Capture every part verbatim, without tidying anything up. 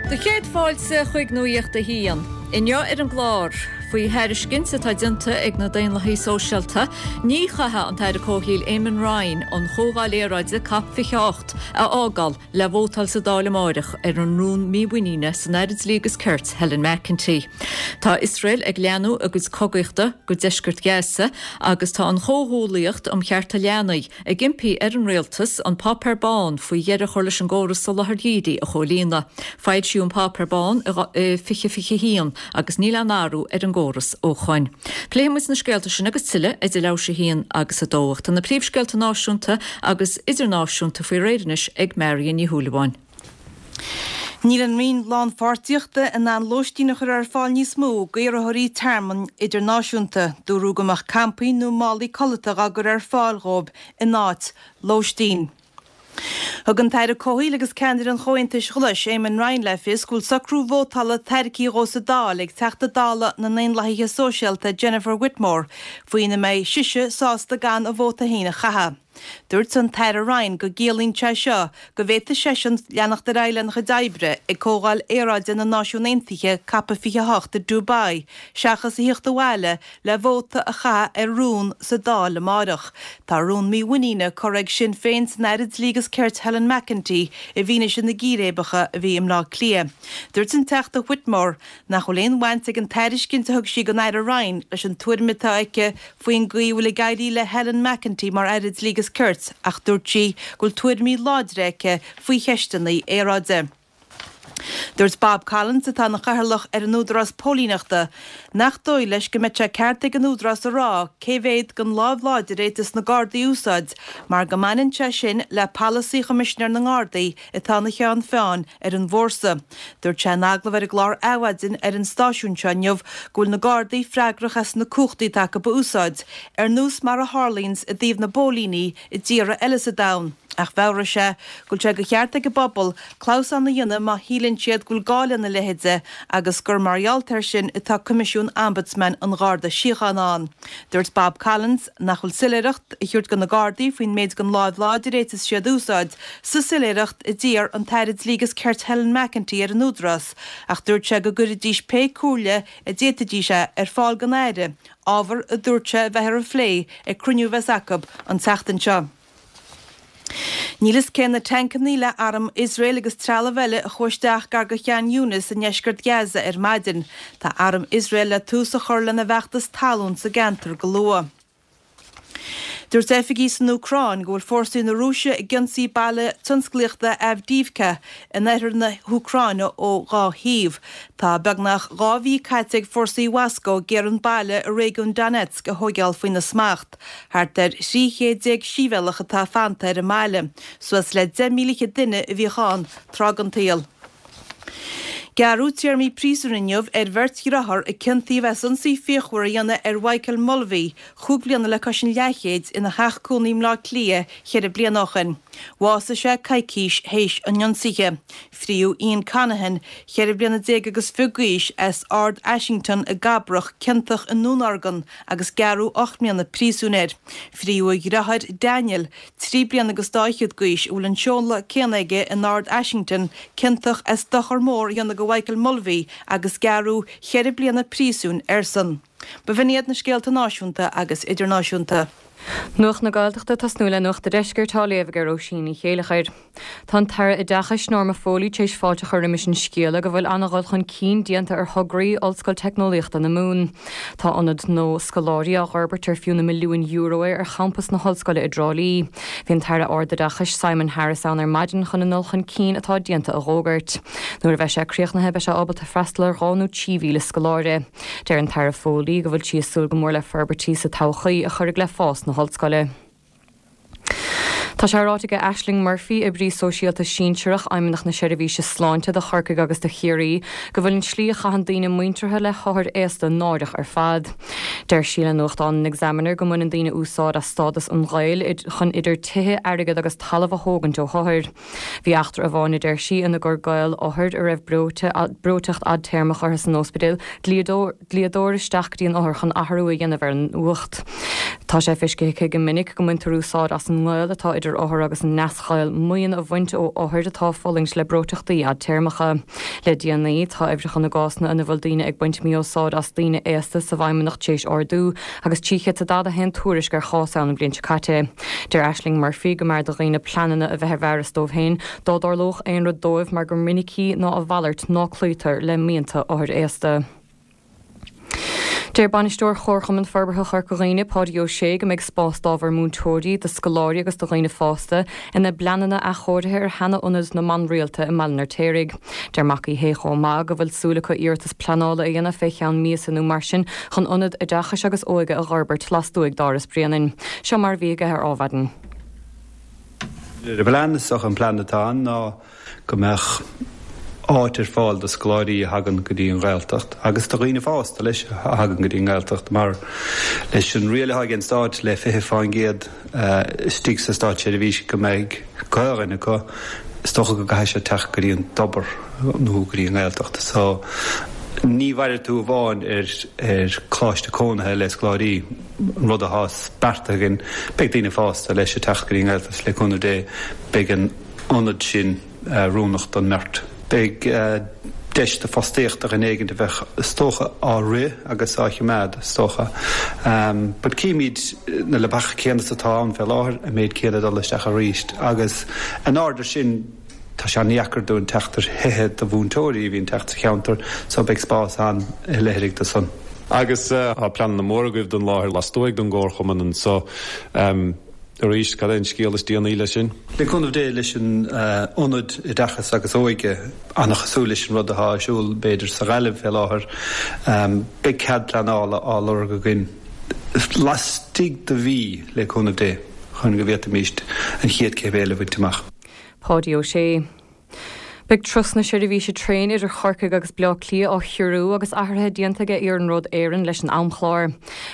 Do chéad fáilte chuig Nuacht a hAon. Inniu ar an gclár, faoi thairiscint atá déanta ag na Daonlathaithe Sóisialta, ní chaithfidh an tAire Comhshaoil Eamon Ryan an Chomhdháil Aeráide COP fiche hocht a fhágáil le vótáil sa Dáil amárach ar an rún mímhuiníne san Aire Dlí agus Cirt Helen McEntee. Tá Iosrael ag leathnú a gcuid cogaíochta go deisceart Gaza agus tá an Chomhghuaillíocht um Chearta Leanaí ag impí ar an rialtas an páipéar bán faoi dheireadh a chur leis an gcóras soláthair dhírigh a chomhlíonadh. Foilsíodh an páipéar bán i fiche fiche haon agus níl aon athrú ar an gcóras ó shin. Pléifimid na scéalta sin agus tuilleadh idir leathuair tar éis a haon agus a dó. Tá na príomhscéalta náisiúnta agus idirnáisiúnta faoi réir anois ag Marion Ní Shúilleabháin. Níl an Roinn Lánpháirtíochta in ann lóistín a chur ar fáil níos mó d'iarrthóirí tearmainn idirnáisiúnta, dúradh go mbeadh campaí nó málaí codlata á gcur ar fáil dhóibh in áit lóistín. Thug an tAire Comhshaoil agus ceannaire an Chomhaontais Ghlais Eamon Ryan le fios go bhfuil socrú vótála tairgthe dhó sa Dáil ag Teachta Dála na nDaonlathaithe Sóisialta Jennifer Whitmore faoina mbeidh sise sásta gan a vóta féin a chaitheamh. Dúirt an tAire Ryan go gciallaíonn sé seo go bhféadfadh seisean leanacht ar aghaidh lena chuid oibre ag Comhdháil Aeráide na Náisiún Aontaithe COP fiche hocht i Dubai, seachas a theacht abhaile le vóta a chaitheamh ar rún sa Dáil amárach. Tá rún mímhuiníne curtha ag Sinn Féin san Aire Dlí agus Cirt Helen McEntee i bhfianaise na gcíréibeacha a bhí i mBleá Cliath. Dúirt an Teachta Whitmore nach bhfuil aon bhaint ag an tairiscint a thug sí don Aire Ryan leis an tuairim atá aici faoin gcaoi a bhfuil ag éirí le Helen McEntee mar Aire Dlí agus Cirt ach dúirt sí go bhfuil tuairimí láidre aici faoi cheisteanna aeráide. Dúirt Bob Collins atá ina chathaoirleach ar an Údarás Póilíneachta nach dóigh leis go mbeidh sé ceart ag an Údarás a rá cé mhéad den lámh láidir a fhéadfas na Gardaí a úsáid mar go mbaineann sé sin le polasaí Choimisinéir na nGardaí atá ina cheann feadhain ar an bhfórsa. Dúirt sé in agallamh ar an gclár Adhmhaidin ar an stáisiún seo inniu go bhfuil na Gardaí freagrach as na cumhachtaí atá acu a úsáid, ar nós mar a tharlaíonns i dtaobh na bpóilíní i dtíortha eile sa domhan. Ach mheabhraigh sé go bhfuil sé de cheart ag an bpobal clamhsán a dhéanamh má shíleann siad go bhfuil gá lena leithéide agus gur mar gheall air sin atá Coimisiún Ombudsman an Gharda Síochána ann. Dúirt Bob Collins nach bhfuil soiléireacht a thabhairt do na Gardaí faoin méid den láimh láidir a fhéadfas siad a úsáid sa soiléireacht a d'iarr an tAire Dlí agus Cirt Helen McEntee ar an Údarás ach dúirt sé go gcuirfidís pé comhairle a d'fhéadfaidís é ar fáil don Aire, ábhar a dúirt sé a bheith ar a phlé ag cruinniú a bheas acu an tseachtain seo. Níl fhios cé na tancanna le arm Iosrael agus trealamh eile a chuaigh isteach gar do Khan Younis i ndeisceart Gaza ar maidin. Tá arm Iosrael le tús a chur lena bhfeachtas talún sa gceantar go luath. Dúirt oifigigh san Úcráin go bhfuil fórsaí na Rúise ag ionsaí baile tionsclaíochta Avdiivka in oirthear na hÚcráine ó dhá thaobh. Tá beagnach dhá mhí caite ag fórsaí Mhoscó ag iarraidh an baile i réigiún Donetsk a thóigeáil faoina smacht. Thart ar thrí chéad déag sibhialtach atá fanta ar an mbaile, suas le deich míle fichead duine a bhíodh ann tráth den tsaol. Gearradh téarmaí príosúin inniu ar bheirt dheartháir a ciontaíodh as ionsaí fíochmhar a dhéanamh ar Mhichael Mulvey, chúig bliana le cois an leathchéid, ina theach cónaí i mBleá Cliath cheithre bliana ó shin. Bhásaigh sé coicís théis an ionsaithe. Fríodh Ian Conaghan, cheithre bliana déag agus fiche d'aois, as Ard Ashington i gCabrach, ciontach i ndúnorgain agus gearradh ocht mbliana príosúin air. Fríodh a dheartháir Daniel, trí bliana agus dá fhichead d'aois, a bhfuil an seoladh céanna aige in Ard Ashington, ciontach as dochar mór a dhéanamh do Mhichael Mulvey agus gearradh cheithre bliana príosúin airsean. B'in iad na scéalta náisiúnta agus idirnáisiúnta. Nuacht na Gaeltachta tosnú le Nuacht an Deiscirt á léamh ag Róisín Ní Chéileachair. Tá an tAire Oideachais Norma Foley tar éis fáilte a chur roimis an scéala go bhfuil an-dhul chun cinn déanta ar thograí Ollscoil Teicneolaíochta na Mumhan. Tá ionad nua scoláirí á fhorbairt ar fiú na milliúin euro é ar champas na hollscoile i dTrá Lí. Bhí an tAire Ardoideachais Simon Harris ann ar maidin chun an dul chun cinn atá déanta a fhógairt. Nuair a bheidh sé críochnaithe beidh sé ábalta freastal ar dhá nó trí mhíle scoláire. Deir an tAire Foley go bhfuil sí ag súil go mór le forbairtí sa todhchaí a chuirfidh le fás na hollscoile. Tá sé ráite ag Ashling Murphy oibrí sóisialta sinsearach Fheidhmeannacht na Seirbhíse Sláinte do Chorcaigh agus do Chiarraí go bhfuil an tslí a chaitheann daoine muinteartha le hothair aosta náireach ar fad. Deir sí le nuachtán an Examiner go mbaineann daoine úsáid as stádas an ghaoil chun idir tithe airgead agus talamh a thógaint ó othair. Bhí eachtra amháin a deir sí ina gcuir gaol othair a raibh breoiteacht fhadtéarmach orthu san ospidéal dlíodóir isteach go dtí an othar chun athrú a dhéanamh ar an uacht. Tá sé feicthe go minic go mbaintear úsáid as an ngaol atá idir idir othar agus a neasghaol maoin a bhaint ó othair atá ag fulaingt le breoiteachtaí fhadtéarmacha. Le déanaí, tá uimhreacha na gcásanna ina bhfuil daoine ag baint mí-úsáid as daoine aosta sa bhFeidhmeannacht tar éis ardú, agus trí chéad is daichead a haon tuairisc ar chás ann an bhliain seo caite. Deir Ashling Murphy go mb'fhearr do dhaoine pleananna a bheith ar bhfearas dóibh féin dá dtarlódh aon rud dóibh mar gur minicí ná a mhalairt ná cloítear le mianta othair aosta. Deir Bainisteoir Chomharchumann Forbartha Chorca Dhuibhne, Páidí Ó Sé, go mbeidh spás d'ábhar múinteoirí, do scoláirí agus do dhaoine fásta ina bpleananna athchóirithe ar sheana-ionad na mban rialta i mBaile an Fheirtéaraigh. Deir Mac Uí Shé chomh maith go bhfuil súil acu iarratas pleanála a dhéanamh fé cheann míosa nó mar sin chun ionad oideachais agus óige a dh'fhorbairt lastuaidh d'Áras Bhréanainn. Seo mar a bhí aige ar Adhmhaidin. Ar an bplean, is dócha an plean atá ann ná go mbeadh áit ar fáil do scoláirí a thagann go dtí an Ghaeltacht agus do dhaoine fásta leis a thagann go dtí an nGaeltacht mar leis an riail atá ag an stát le fiche faoin gcéad istigh sa státseirbhís go mbeidh Gaelainn acu, is dócha go gcaithfidh sé teacht go dtí an tobar nó go dtí an nGaeltacht. So ní mhairfidh tú amháin ar ar choláiste cónaithe le scoláirí, an rud atá beartaithe againn, beidh daoine fásta leis ag teacht go dtí an nGaeltacht le cúnamh Dé, beidh an ionad sin oiriúnach don mbeart. Beidh deis do fostaíocht do dhuine éigin a bheadh is dócha á rith agus á choimeád is dócha. But címid na leapacha céanna is atá ann fé láthair, an méid céanna dul isteach arís agus in airde sin tá sé an-dheacair dúinn teacht ar thithe do mhúinteoirí a bhíonn teacht sa cheantar so beidh spás ann i leithéid de san. Agus tá pleananna móra agaibh don láthair lastuaidh den gComharchumann anso. Arís, cad é an scéal is déanaí leis sin? Le cúnamh Dé, leis an Ionad Oideachais agus Óige, an-chosúil leis an rud atá ar siúl, b'fhéidir, sa Ghaillimh fé láthair, beidh cead pleanála á lorg againn laistigh de mhí, le cúnamh Dé, chun go bhféadfaimis an chéad chéim eile a bhaint amach. Páidí Ó Sé. Beidh turas na seirbhíse traein idir Chorcaigh agus Bleá Cliath á chiorrú agus athruithe déanta ag Iarnród Éireann leis an amchlár.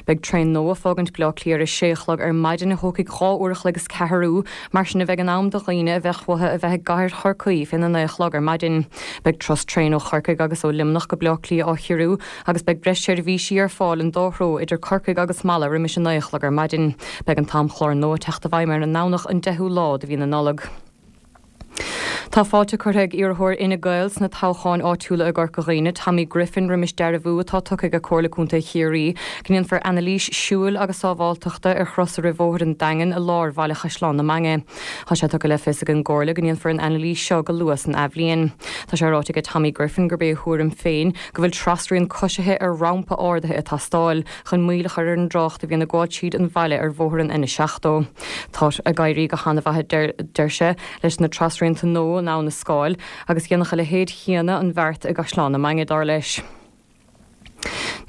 Beidh traein nua ag fágaint Bleá Cliath ar a sé a chlog ar maidin a thógfaidh dhá uair a chloig is ceathrú, mar sin a bheidh in am do dhaoine a bheadh uathu a bheith i gcathair Chorcaí féna naoi a chlog ar maidin. Beidh turas traein ó Chorcaigh agus ó Luimneach go Bleá Cliath á chiorrú agus beidh breis seirbhísí ar fáil an dá threo idir Corcaigh agus Mala roimis a naoi a chlog ar maidin. Beidh an t-amchlár nua ag teacht i bhfeidhm ar an nDomhnach an deichiú lá de mhí na Nollag. Tá fáilte curtha ag iarrthóir Fhine Gael sna toghcháin áitiúla i gCorca Dhuibhne, Tommy Griffin, roimis dearbhú atá tugtha ag Comhairle Contae Chiarraí go ndéanfar anailís siúil agus sábháilteachta ar chrosaire roimh Bhóthar an Daingin i lár bhaile Chaisleán na Mainge. Tá sé tugtha le fios ag an gComhairle go ndéanfar an anailís seo go luath san athbhliain. Tá sé ráite ag Tommy Griffin gurb é a thuairim féin go bhfuil trasrian coisithe ar rampa ardaithe ag teastáil chun moill a chur ar an dtrácht a bhíonn ag gabháil tríd an bhaile ar bhóthar an N seachtó. Tá ag éirí go han-mhaith, a deir sé, leis na trasrianta nua in Abha na Scáil agus dhéanfadh a leithéid chéanna an bheart i gCaisleán na Mainge, dar leis.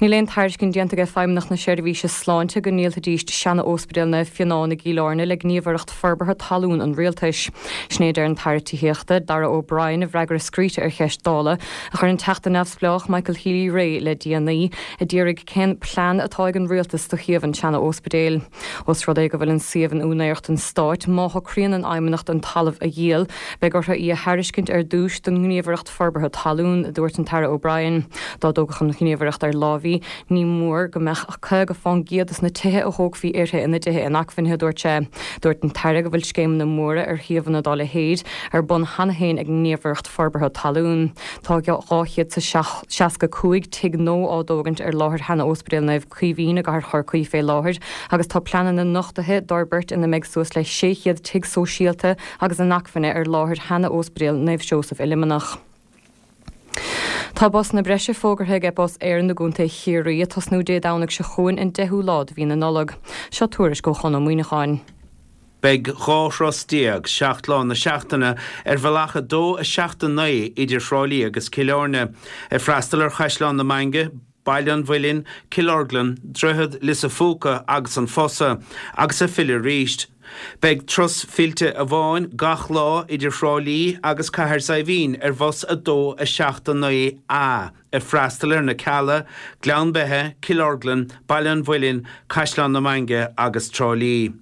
Níl aon tairiscint déanta ag Feidhmeannacht na Seirbhíse Sláinte go ndíolfaidís seana-Ospidéal Naomh Fionán i gCill Airne le Gníomhaireacht Forbartha Talún an Rialtais. Sin é a deir an tAire Tithíochta, Darragh O'Brien i bhfreagra scríte ar cheist Dála a chuir an Teachta Neamhspleách Michael Healy-Rae le déanaí, a d'iarraidh cén plean atá ag an Rialtas do shuíomh an tseana-ospidéil. Ós rud é go bhfuil an suíomh in úinéireacht an Stáit, má shocraíonn an Fheidhmeannacht an talamh a dhíol, beidh orthu í a thairiscint ar dtús don nGníomhaireacht Forbartha Talún, a dúirt an tAire O'Brien. Dá dtógfadh an Ghníomhaireacht ar láimh í, ní mór go mbeadh caoga fán gcéad dos na tithe a thógfaí uirthi ina dtithe inacmhainne, a dúirt sé. Dúirt an tAire go bhfuil scéimeanna móra ar shuíomhanna dá leithéid ar bun cheana féin ag an nGníomhaireacht Forbartha Talún. Tá dhá chéad is seasca cúig tigh nua á dtógaint ar láthair sheana-Ospidéal Naomh Caoimhín i gcathair Chorcaí fé láthair agus tá pleananna nochtaithe d'fhorbairt ina mbeidh suas le sé chéad tigh sóisialta agus inacmhainne ar láthair sheana-Ospidéal Naomh Seosamh i Luimneach. Tá busanna breise fógartha ag Bus Éireann i gContae Chiarraí ag tosnú Dé Domhnaigh seo chugainn an deichiú lá de mhí na Nollag. Seo tuairisc ó Chon Ó Muíneacháin. Beidh dhá thuras déag, seacht lá na seachtaine, ar bhealach a dó, a seacht, a naoi idir Thrá Lí agus Cill Airne, ag freastal ar Chaisleán na Mainge, Baile an Mhuilinn, Cill Orglan, Droichead Lios a' Phúca agus An Fosa, agus ag filleadh arís. Beidh turas fillte amháin gach lá idir Thrá Lí agus Cathair Saidhbhín ar bhus a dó, a seacht, a naoi A, ag freastal ar na Cealla, Gleann Beithe, Cill Orglan, Baile an Mhuilinn, Caisleán na Mainge agus Trá Lí.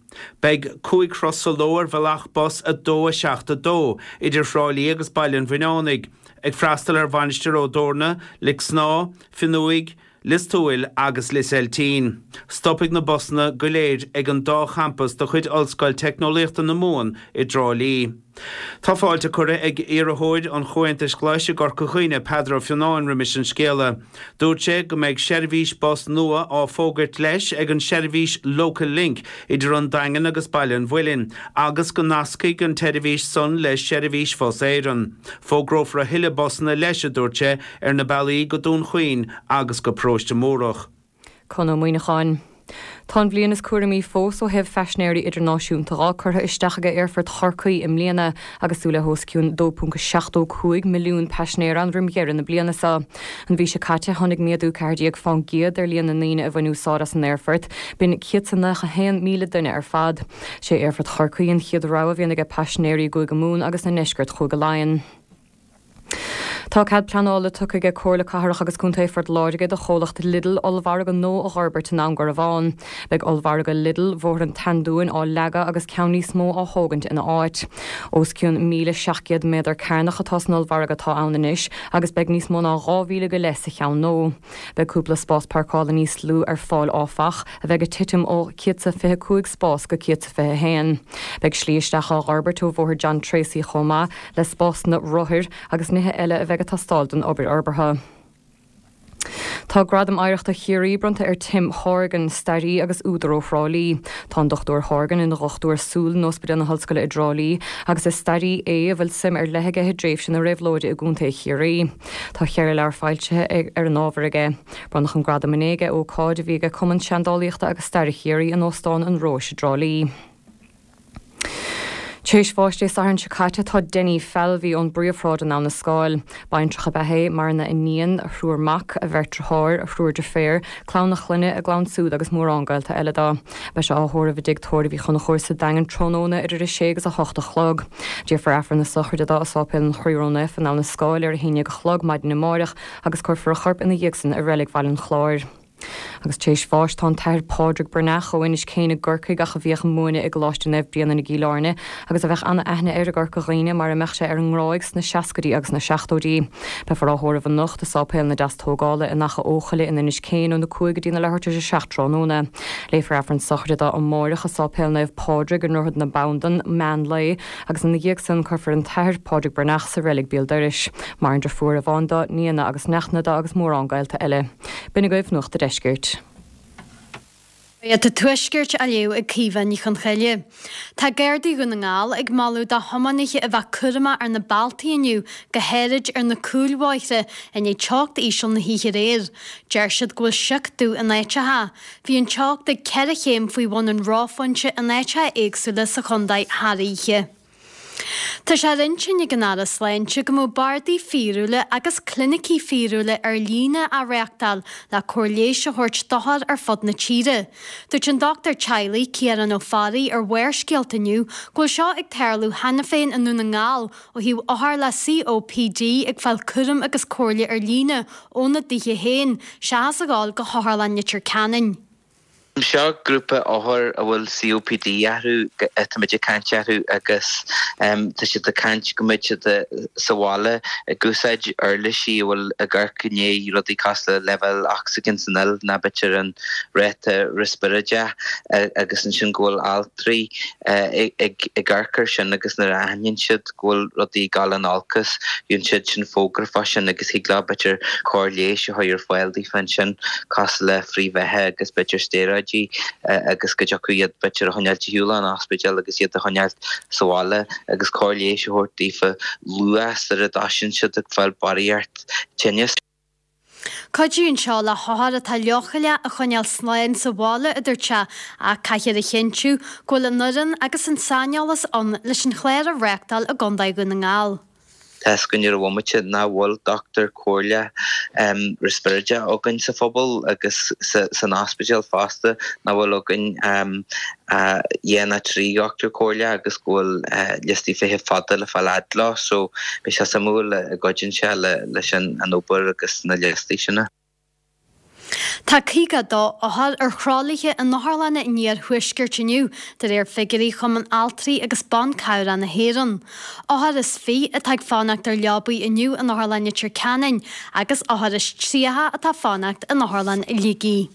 Beidh cúig thuras sa ló ar bhealach bus a dó, a seacht, a dó idir Thrá Lí agus Baile an Bhuinneánaigh, ag freastal ar Mhainistir Ó dTorna, Lic Snámha, Fionnuaigh, Lios Tuathail agus Lios Eiltín. Stopfaidh na busanna go léir ag an dá champas de chuid Ollscoil Teicneolaíochta na Mumhan i dTrá Lí. Tá fáilte curtha ag iarrthóir an Chomhaontais Ghlais i gCorca Dhuibhne, Peadar Ó Fionnáin roimis an scéala. Dúirt sé go mbeidh seirbhís bus nua á fógairt leis ag an seirbhís Local Link idir an Daingean agus Baile an Mhuilinn agus go nascfaidh an tseirbhís san le seirbhís Bhus Éireann. Fógrófar a thuilleadh busanna leis, a dúirt sé, ar na bealaí go Dún Chaoin agus go Paróiste Múrach. Conn Ó Muíneacháin. Tá an bhliain is cúramaí fós ó thaobh phaisinéirí idirnáisiúnta dhá curtha isteach aige Aerfort Chorcaí i mbliana agus súil le hos cionn dó ponc seachtó cúig milliún paisinéir ann roim dheireadh na bliana seo. An mhí seo caite tháinig méadú ceathair déag fán gcéad ar líon na ndaoine a bhain úsáid as an aerfort, b'in céad 's a nócha haon míle duine ar fad. Sé Aerfort Chorcaí an chéad rogha a bhíonn aige paisinéirí i gCúige Mumhan agus i ndeisceart Chúige Laighean. Tá cead pleanála tugtha aige Comhairle Cathrach agus Contae Phort Láirge do chomhlacht Lidl ollmhargadh nua a dh'fhorbairt i nDún Garbhán. Beidh ollmhargadh Lidl Bhóthar an tSeandúin á leagadh agus ceann níos mó á thógaint ina áit. Os cionn míle seacht gcéad méadar cearnach atá san ollmhargadh atá ann anois agus beidh níos mó ná dhá mhíle go leith sa cheann nua. Beidh cúpla spás páirceála níos lú ar fáil áfach, a bheidh ag titim ó céad 's a fiche cúig spás go céad 's a fiche haon. Beidh slí isteach á dh'fhorbairt ó Bhóthar John Treacy chomh maith le spásanna rothair agus nithe eile a bheidh ag teastáil don obair fhorbartha. Tá Gradam Oidhreachta Chiarraí bronnta ar Tim Horgan, staraí agus údar ó Thrá Lí. Tá an Dochtúir Horgan ina dhochtúir súl in Ospidéal na hOllscoile i dTrá Lí agus is staraí é a bhfuil suim ar leith aige i dtréimhse na réabhlóide i gContae Chiarraí. Tá ceithre leabhar foilsithe ar an ábhar aige. Bronnadh an gradam inné ag ócáid a bhí ag Cumann Seandálaíochta agus Staire Chiarraí in Óstán an Róis i dTrá Lí. Tar éis bháis Dé Sathairn seo caite tá Denny Falvey ón bPríomhshráid in Abha na Scáil. Baintreach ab ea é, maireann a iníon, a thriúr mac, a bheirt deartháir, a thriúr deirféar, clann a chlainne, a gclann siúd agus mórán gaolta eile dó. Beidh sé á thórramh i dTigh Tórraimh Uí Chonchúir sa Daingean tráthnóna idir a sé agus a hocht a chlog. Déarfar Aifreann na sochraide dó i Sáipéal an Chroí Ró-Naofa in Abha na Scáil ar a haon déag a chlog maidin amáireach agus cuirfear a chorp ina dhiaidh san i Reilig Bhaile an Chláir. Agus tar éis bháis tá an tAthair Pádraig Breathnach ó Inis Céin i gCorcaigh ach a bhíodh ag múineadh i gColáiste Naomh Bréanainn i gCill Airne agus a bheadh an-aithne air i gCorca Dhuibhne mar a mbeadh sé ar an nGráig sna seascaidí agus na seachtóidí. Beifear á thórramh anocht i Sáipéal na Deastógála in Achadh Eochaille in Inis Céin óna cúig go dtí na leathuair tar éis a seacht tráthnóna. Léifear Aifreann sochraide dó amáireach i Sáipéal Naomh Pádraig i nDroichead na Bandan, meán lae, agus ina dhiaidh san cuirfear an tAthair Pádraig Breathnach sa reilig béal dorais. Maireann deirfiúr amháin dó, nianna agus neachtanna dó agus mórán gaolta eile. B'in agaibh Nuacht a' Deiscirt. Nuacht an Tuaiscirt á léamh ag Caoimhe Ní Chonchoille. Tá Gardaí Dhún na nGall ag moladh do thiománaithe a bheith cúramach ar na bealtaí inniu, go háirid ar na cúlbhóithre, i ndiaidh teocht íseal na hoíche aréir. Deir siad go bhfuil sioc dubh in áiteacha. Bhí an teocht ag ceithre chéim faoi bhun an reophointe in áiteacha éagsúla sa chontae thar oíche. Tá sé ar intinn ag an Aire Sláinte go mbeadh bardaí fíorúla agus clinicí fíorúla ar líne á reáchtáil le cóir leighis a thabhairt d'othair ar fud na tíre. Dúirt an dochtúir teaghlaigh, Ciarán Ó Fearraigh ar Bharrscéalta inniu go bhfuil seo ag tarlú cheana féin i nDún na nGall ó thaobh othair le COPD ag fáil cúram agus comhairle ar líne óna dtithe féin seachas a ghabháil go hOtharlann Leitir Ceanainn. Seo grúpa othar a bhfuil COPD orthu, táimid ag caint orthu agus tá siad ag caint go mbeidh siad sa bhaile ag úsáid uirlisí a bhfuil ag amharc i ndiaidh rudaí cosúil le leibhéal ocsaigin san fhuil nó b'fhéidir an ráta riospráide agus ansin go bhfuil altraí ag amharc air sin agus nuair a aithníonn siad go bhfuil rudaí ag dul in olcas gheobhann siad sin fógra fá sin agus thig leo b'fhéidir cóir leighis a chur ar fáil daofa ansin cosúil le frithbheatha agus b'fhéidir stéaróidí agus go dtiocfadh iad b'fhéidir a choinneáilt ar shiúl ón ospidéal agus iad a choinneáilt sa bhaile agus cóir leighis a thabhairt daofa luath sar a dtoisíonn siad ag fáil barraíocht tinnis. Cuidíonn seo le hothair atá leochaileach a choinneáil slán sa bhaile, a dúirt sé, ach caithfear a chinntiú go bhfuil an fhoireann agus an saineolas ann leis an chlár a reáchtáil i gContae Dhún na nGall. Tá 'fhios againn ar an bhomaite nach bhfuil dochtúir comhairle riospráide againn sa phobal agus san ospidéal fosta, nach bhfuil againn dhá nó trí dhochtúir comhairle agus go bhfuil liostaí feithimh fada le fáil fhad leo. So beidh sé suimiúil an gcuidíonn sé leis an obair agus na liostaí sin. Tá caoga a dó othar ar thralaithe in otharlanna an iarthuaiscirt inniu, de réir figiúirí Chumann Altraí agus Ban Cabhrach na hÉireann. Othar is fiche atá ag fanacht ar leabaí inniu in Otharlann Leitir Ceanainn agus othar is tríocha atá ag fanacht in Otharlann Shligigh.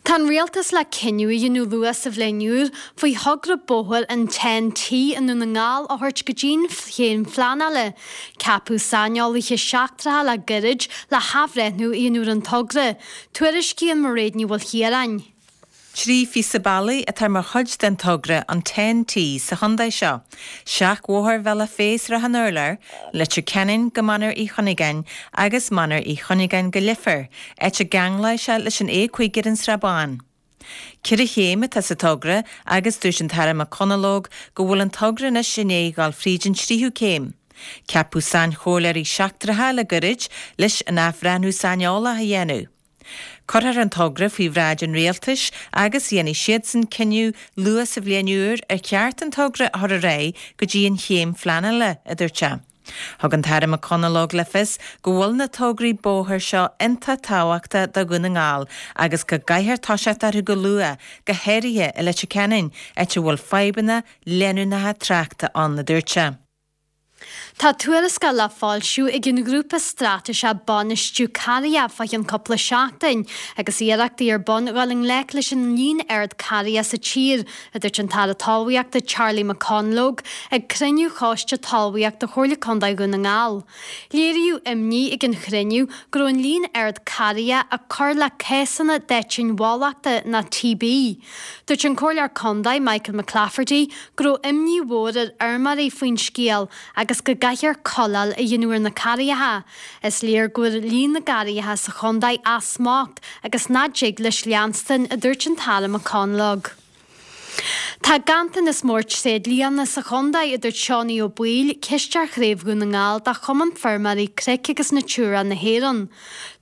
Tá an Rialtas le cinneadh a dhéanamh luath sa bhliain úr faoi thogra bóthair an Ten T i nDún na nGall a thabhairt go dtí'n chéim phleanála. Ceapadh saineolaithe seachtracha le gairid le hathbhreithniú a dhéanamh ar an togra. Tuairiscíonn Mairéad Ní Mhaoilchiaráin. Trí phíosa bealaigh atá mar chuid den togra an Ten T sa chontae seo, seachbhóthar Bhealach Féich-Srath an Urláir, Leitir Ceanainn go Mainéar Uí Chuinneagáin agus Mainéar Uí Chuinneagáin go Leifear, áit a gceanglóidh sé leis an A cúig ar an Srath Bán. Ceithre chéim atá sa togra agus dúirt an tAire McConalogue go bhfuil an togra anois i ndiaidh dul fríd an tríú céim. Ceapadh sainchomhairleoirí seachtracha le gairid leis an athbhreithniú saineolach a dhéanamh. Cuirfear an togra faoi bhráid an rialtais agus dhéanfaidh siadsan cinneadh luath sa bhliain úr ar cheart an togra a chur ar aghaidh go dtí an chéim phleanála, a dúirt sé. Thug an tAire McConalogue le fios go bhfuil na tograí bóthair seo iontach tábhachtach do Dhún na nGall agus go gcaithfear toiseacht orthu go luath, go háirithe i Leitir Ceanainn, áit a bhfuil fadhbanna leanúnacha tráchta ann, a dúirt sé. Tá tuarascáil le foilsiú ag an ghrúpa straitéiseach Bainistiú Carraigheacha fá cheann cúpla seachtain agus iarrachtaí ar bun dhul i ngleic leis an líon ard carraigheacha sa tír, a dúirt an tAire Talmhaíochta Charlie McConalogue ag cruinniú Choiste Talmhaíochta Chomhairle Contae Dhún na nGall. Léiríodh imní ag an chruinniú go raibh an líon ard carraigheacha ag cur le cásanna d'aitinn bhólachta nó T B. Dúirt an Comhairleoir Contae Michael McClafferty go raibh imní mhór ar fheirmeoirí faoin scéal agus go gcaithfear cuileáil a dhéanamh ar na carraigeacha. Is léir go bhfuil líon na gcarraigeacha sa chontae as smacht agus nach dtig leis leanstan, a dúirt an tAire McConalogue. Tá ganntanas mór tréidlianna sa chontae, a dúirt Seánie Ó Baoill, cisteoir Chraobh Dhún na nGall de Chumann Feirmeoirí Cnoic agus Natura na hÉireann.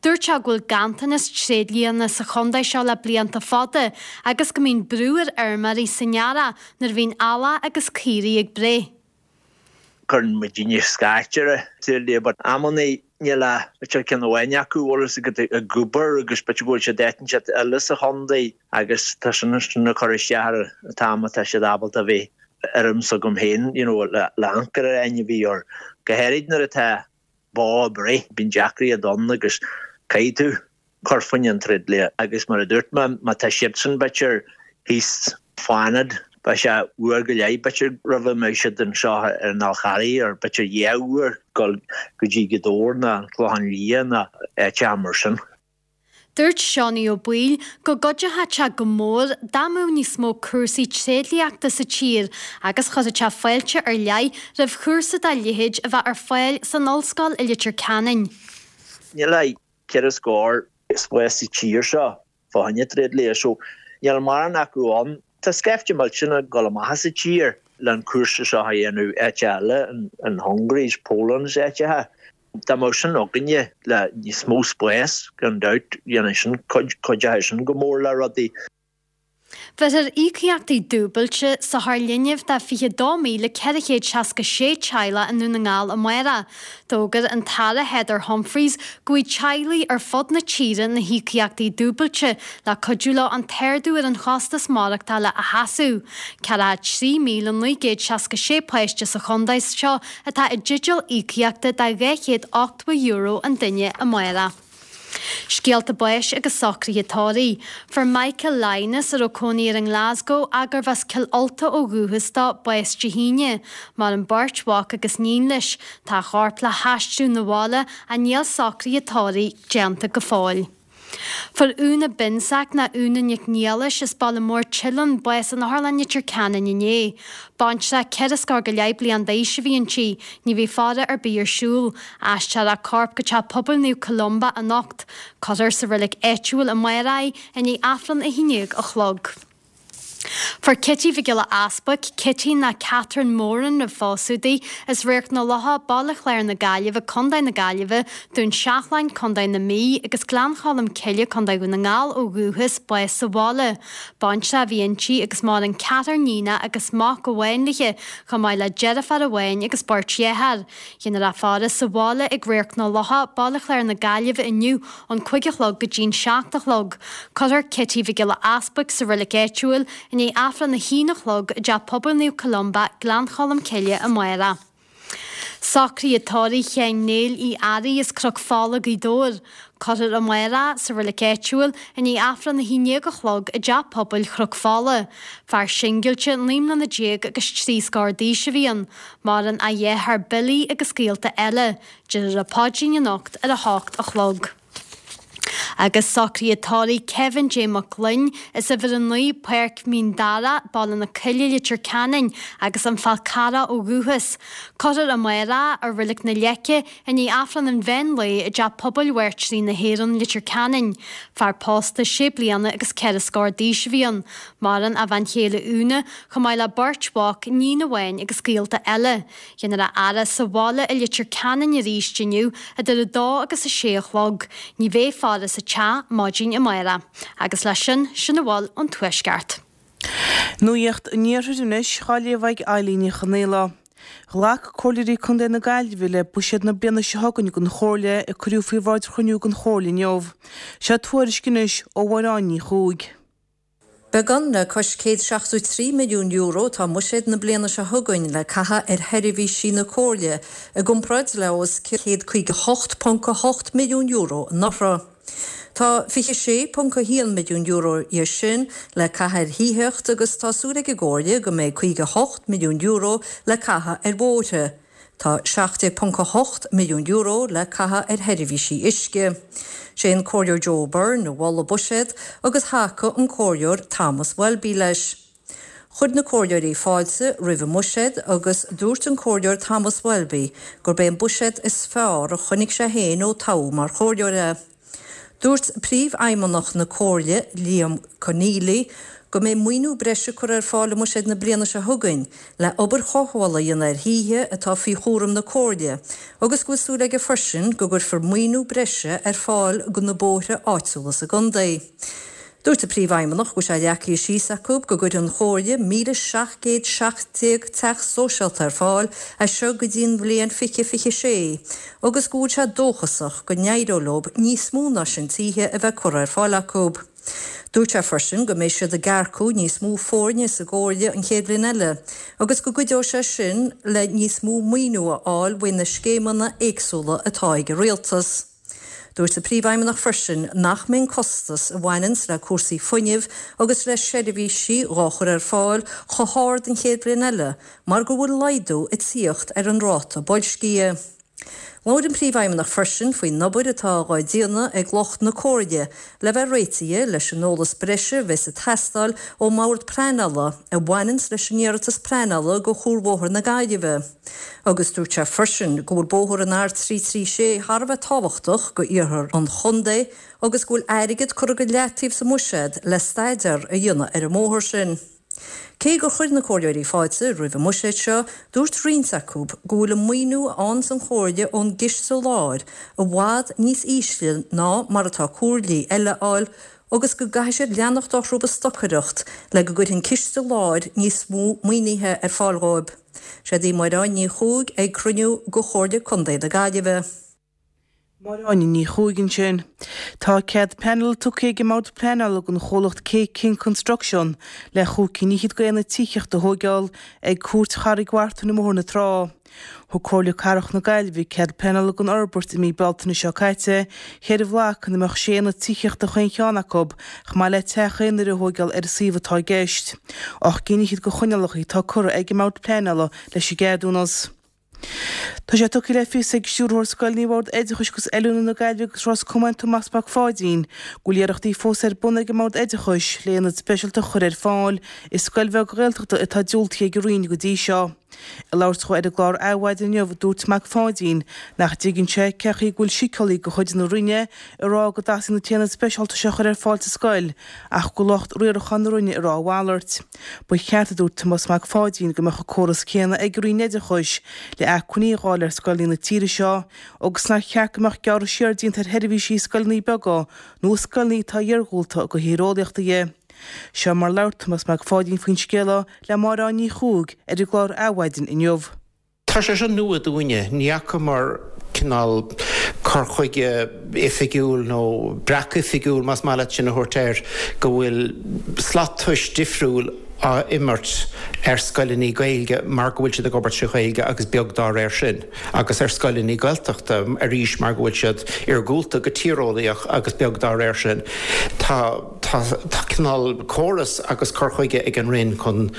Dúirt sé go bhfuil ganntanas tréidlianna sa chontae seo le blianta fada agus go mbíonn brú ar fheirmeoirí san earrach nuair a bhíonn eallach agus caoirigh ag breith. Cuireann muidinne scairt ar tréidlia, but amannaí níl a b'fhéidir ceann amháin acu bhfuil a fhios agat ag obair agus b'fhéidir go bhfuil siad áit inteacht eile sa chontae agus tá sin sin ag cur isteach ar an t-am atá siad ábalta a bheith ar am s'agam féin you know le le ancaire ar ainmhí or go háirid nuair atá bó ag breith bíonn deacracht ann agus caithfidh tú cur fá choinne an tréidlia agus mar a dúirt mé má tá siadsan b'fhéidir thíos Fánad beidh sé uair go leith b'fhéidir roimh a mbeidh siad anseo ar an Fhál Charraigh or b'fhéidir dhá uair dul go dtí Gaoth Dobhair ná an Clochán Liath ná áiteacha mar sin. Dúirt Seánie Ó Baoill go gcuideodh sé go mór dá mbeadh níos mó cúrsaí tréidliachta sa tír agus chuirfeadh sé fáilte ar leith roimh chúrsa dá leithéid a bheith ar fáil san ollscoil i Leitir Ceanainn. Níl ach ceithre scór spás sa tír seo fá choinne tréidlia so níl mórán acu ann. Tá scaifte millteanach ag dul amach as an tír le an cúrsa seo a dhéanamh áit eile in Hungary, Poland is áiteacha. Dá mbeadh sin againne le níos mó spáis gan dabht dhéanfaidh sin cuideoidh sin go mór le rudaí. Bheirfear íocaíochtaí dúbailte sochar linbh do fiche dó míle ceithre chéad seasca sé teaghlach i nDún na nGall amárach. D'fhógair an tAire Heather Humphreys go bhfaighidh teaghlaigh ar fud na tíre na híocaíochtaí dúbailte le cuidiú leo an t-ardú ar an chostas maireachtála a sheasamh. Ceathracha trí míle naoi gcéad seasca sé páiste sa chontae seo atá i dteideal íocaíochta de dhá chéad ochtó euro an duine amárach. Scéalta báis agus socruithe tórraimh. Fuair Michael Lynas a raibh cónaí air i nGlasgow gurbh as Cill Ulta ó dhúchas dó bás Dé hAoine. Maireann beirt mhac agus níon leis. Tá a chorp le haistriú 'na bhaile ach níl socruithe tórraimh déanta go fóill. Fuair Úna Binsack ná Úna Nic Niallais as Baile Móir Tilleann bás in Otharlann Leitir Ceanainn inné. Baintreach ceithre scór go leith bliain d'aois a bhí inti, ní bheidh faire ar bith ar siúl. Aistreofar a corp go teach pobail Naomh Columba anocht. Cuirfear sa reilig áitiúil amárach í i ndiaidh Aifreann a haon déag a chlog. Fuair Cití Mhic Giolla Easbuic, Cití ná Catherine Moran roimh phósadh di, as Radharc na Locha, Baile Chláir na Gaillimhe, Contae na Gaillimhe, Dún Seachlainn, Contae na Mí, agus Gleann Cholm Cille, Contae Dhún na nGall ó dhúchas, bás sa bhaile. Baintreach a bhí inti agus maireann ceathrar níonach agus mac amháin léi, chomh maith le deirfiúr amháin agus beirt dhearthár. Déanfar a faire sa bhaile ag Radharc na Locha, Baile Chláir na Gaillimhe inniu ón cúig a chlog go dtí'n seacht a chlog. Cuirfear Cití Mhic Giolla Easbuic sa reilig áitiúil i ndiaidh Aifreann a haon a chlog i dTeach Pobail Naomh Columba, Gleann Cholm Cille amárach. Socruithe tórraimh Sheáin Néill Uí Fhearraigh as Cnoc Fola, Gaoth Dobhair. Cuirfear amárach sa reilig áitiúil i ndiaidh Aifreann a haon déag a chlog i dTeach Pobail Chnoc Fola. Fear singilte naoi mbliana déag agus trí scór d'aois a bhí ann. Maireann a dheartháir Billy agus gaolta eile. Déanfar an paidrín anocht ar a hocht a chlog. Agus socruithe tórraimh Kevin J Mac Gloinn as uimhir a naoi Páirc Mhín Dara, Baile na Coille, Leitir Ceanainn agus an Fál Carrach ó dhúchas. Cuirfear amárach i Reilig na Leice i ndiaidh Aifreann an mheán lae i dTeach Pobail Mhairtírí na hÉireann, Leitir Ceanainn. Fear pósta sé bliana agus ceithre scór d'aois a bhí ann. Maireann a bhean chéile Úna, chomh maith le beirt mhac, níon amháin agus gaolta eile. Déanfar a fhaire sa bhaile i Leitir Ceanainn arís inniu idir a dó agus a sé a chlog. Ní bheidh faire sa teach maidin amárach. Agus leis sin, sin a bhfuil ón Tuaisceart. Nuacht an Iarthair anois, á léamh ag Eilín Ní Chonaola. Ghlac Comhairleoirí Contae na Gaillimhe le buiséad na bliana seo chugainn don Chomhairle a cuireadh faoi bhráid chruinniú den Chomhairle inniu. Seo tuairisc anois ó Mháire Ní Chuaig. Beagán le cois céad seachtó trí milliún euro atá i mbuiséad na bliana seo chugainn le caitheamh ar sheirbhísí na Comhairle, i gcomparáid le os cionn céad caoga hocht ponc a hocht milliún euro anuraidh. Tá fiche sé ponc a haon milliún euro dhe sin le caitheamh ar thithíocht agus tá súil ag an gComhairle go mbeidh caoga hocht milliún euro le caitheamh ar bhóithre. Tá seacht déag ponc a hocht milliún euro le caitheamh ar sheirbhísí uisce. Sé an Comhairleoir Joe Byrne a mhol an buiséad agus thacaigh an Comhairleoir Thomas Welby leis. Chuir na comhairleoirí fáilte roimh an mbuiséad agus dúirt an Comhairleoir Thomas Welby gurb é an buiséad is fearr a chonaic sé féin ó toghadh mar chomhairleoir é. Dúirt Príomhfheidhmeannach na Comhairle, Liam Conneely, go mbeidh maoiniú breise curtha ar fáil i mbuiséad na bliana seo chugainn le obair chothabhála a dhéanamh ar thithe atá faoi chúram na Comhairle agus go bhfuil súil aige freisin go gcuirfear maoiniú breise ar fáil do na bóithre áitiúla sa gcontae. Dúirt an Príomhfheidhmeannach go bhfuil sé leagtha síos acu go gcuirfidh an Chomhairle míle seacht gcéad seacht déag teach sóisialta ar fáil as seo go dtí an bhliain fiche fiche sé agus go bhfuil sé dóchasach go n-éireoidh leo níos mó ná sin tithe a bheith curtha ar fáil acu. Dúirt sé freisin go mbeidh siad ag earcú níos mó foirne sa gComhairle an chéad bhliain eile agus go gcuideoidh sé sin le níos mó maoiniú a fháil faoi na scéimeanna éagsúla atá ag an rialtas. Dúirt an Príomhfheidhmeannach freisin nach mbeidh an costas a bhaineanns le cúrsaí fuinnimh agus le seirbhísí dhá chur ar fáil chomh hard an chéad bhliain eile mar go bhfuil laghdú ag tíocht ar an ráta boilscithe. Labhair an Príomhfheidhmeannach freisin faoin obair atá á déanamh ag lucht na Comhairle le bheith réitithe leis an eolas breise a bheas ag teastáil ón mBord Pleanála a bhaineanns leis an iarratas pleanála do Chuarbhóthar na Gaillimhe. Agus dúirt sé freisin go bhfuil bóthar an R trí trí sé thar a bheith tábhachtach go iarthar an chontae agus go bhfuil airgead curtha go leataobh sa mbuiséad le staidéar a dhéanamh ar an mbóthar sin. Cé gur chuir na comhairleoirí fáilte roimh an mbuiséad seo, dúirt roinnt acu go bhfuil an maoiniú a fhaigheanns an Chomhairle ón gCiste Láir i bhfad níos ísle ná mar atá comhairlí eile a fháil agus go gcaithfidh siad leanacht orthu ag stocaireacht le go gcuirfidh an Ciste Láir níos mó maoinithe ar fáil dhóibh. Siod í Máire Áine Ní Chuaig ag cruinniú de Chomhairle Contae na Gaillimhe. Máire Áine Ní Chuaig ansin. Tá cead pleanála tugtha ag an mBord Pleanála don chomhlacht K King Construction le chúig cinn fhichead d'aonaid tithíochta a thóigeáil ag Cúirt Charraig Mhartain i mBóthar na Trá. Thug Comhairle Cathrach na Gaillimhe cead pleanála don fhorbairt i mí Bealtaine seo caite, ceithre bhloc ina mbeadh sé aonad tithíochta chaon cheann acu, chomh maith le teach aonair a thóigeáil ar an suíomh atá i gceist. Ocht gcinn fhichead de choinníollacha atá curtha ag an mBord Pleanála leis an gceadúnas. Tá sé tugtha le fios ag Stiúrthóir Scoileanna Bhord Oideachais agus Oiliúna na Gaillimhe agus Ros Comáin Tomás Mac Pháidín go bhfuil iarrachtaí fós ar bun ag an mBord Oideachais le aonad speisialta a chur ar fáil i scoil bheag Ghaeltachta atá diúltaithe ag an Roinn go dtí seo. Ag labhairt dhó ar an gclár Adhmhaidin inniu, dúirt Mac Pháidín nach dtuigeann sé cén chaoi go bhfuil síceolaí de chuid na Roinne ag rá go dteastaíonn an t-aonad speisialta seo a chur ar fáil sa scoil ach go bhfuil lucht riaracháin na Roinne ag rá a mhalairt. Ba cheart, a dúirt Tomás Mac Pháidín, go mbeadh an córas céanna ag an Roinn Oideachais le acmhainní a dháileadh ar scoileanna na tíre seo agus nár cheart go mbeadh gearradh siar déanta ar sheirbhísí i scoileanna beaga nó i scoileanna atá iargúlta ó thaobh tíreolaíochta dhe. Seo mar labhair Tomás Mac Pháidín faoin scéal le Máire Ní Chuaig ar an gclár Adhmhaidin inniu. Tá sé seo nua dúinne, ní fhacamar cineál cur chuige oifigiúil nó breac oifigiúil más maith leat sin a thabhairt air, go bhfuil slat tomhais difriúil á imirt ar scoileanna Gaeilge mar go bhfuil siad ag obair trí Ghaeilge agus beag dá réir sin, agus ar scoileanna Gaeltachta arís mar go bhfuil siad iargúlta go tíreolaíoch agus beag dá réir sin. Tá tá tá cineál córas agus cur chuige ag an Roinn chun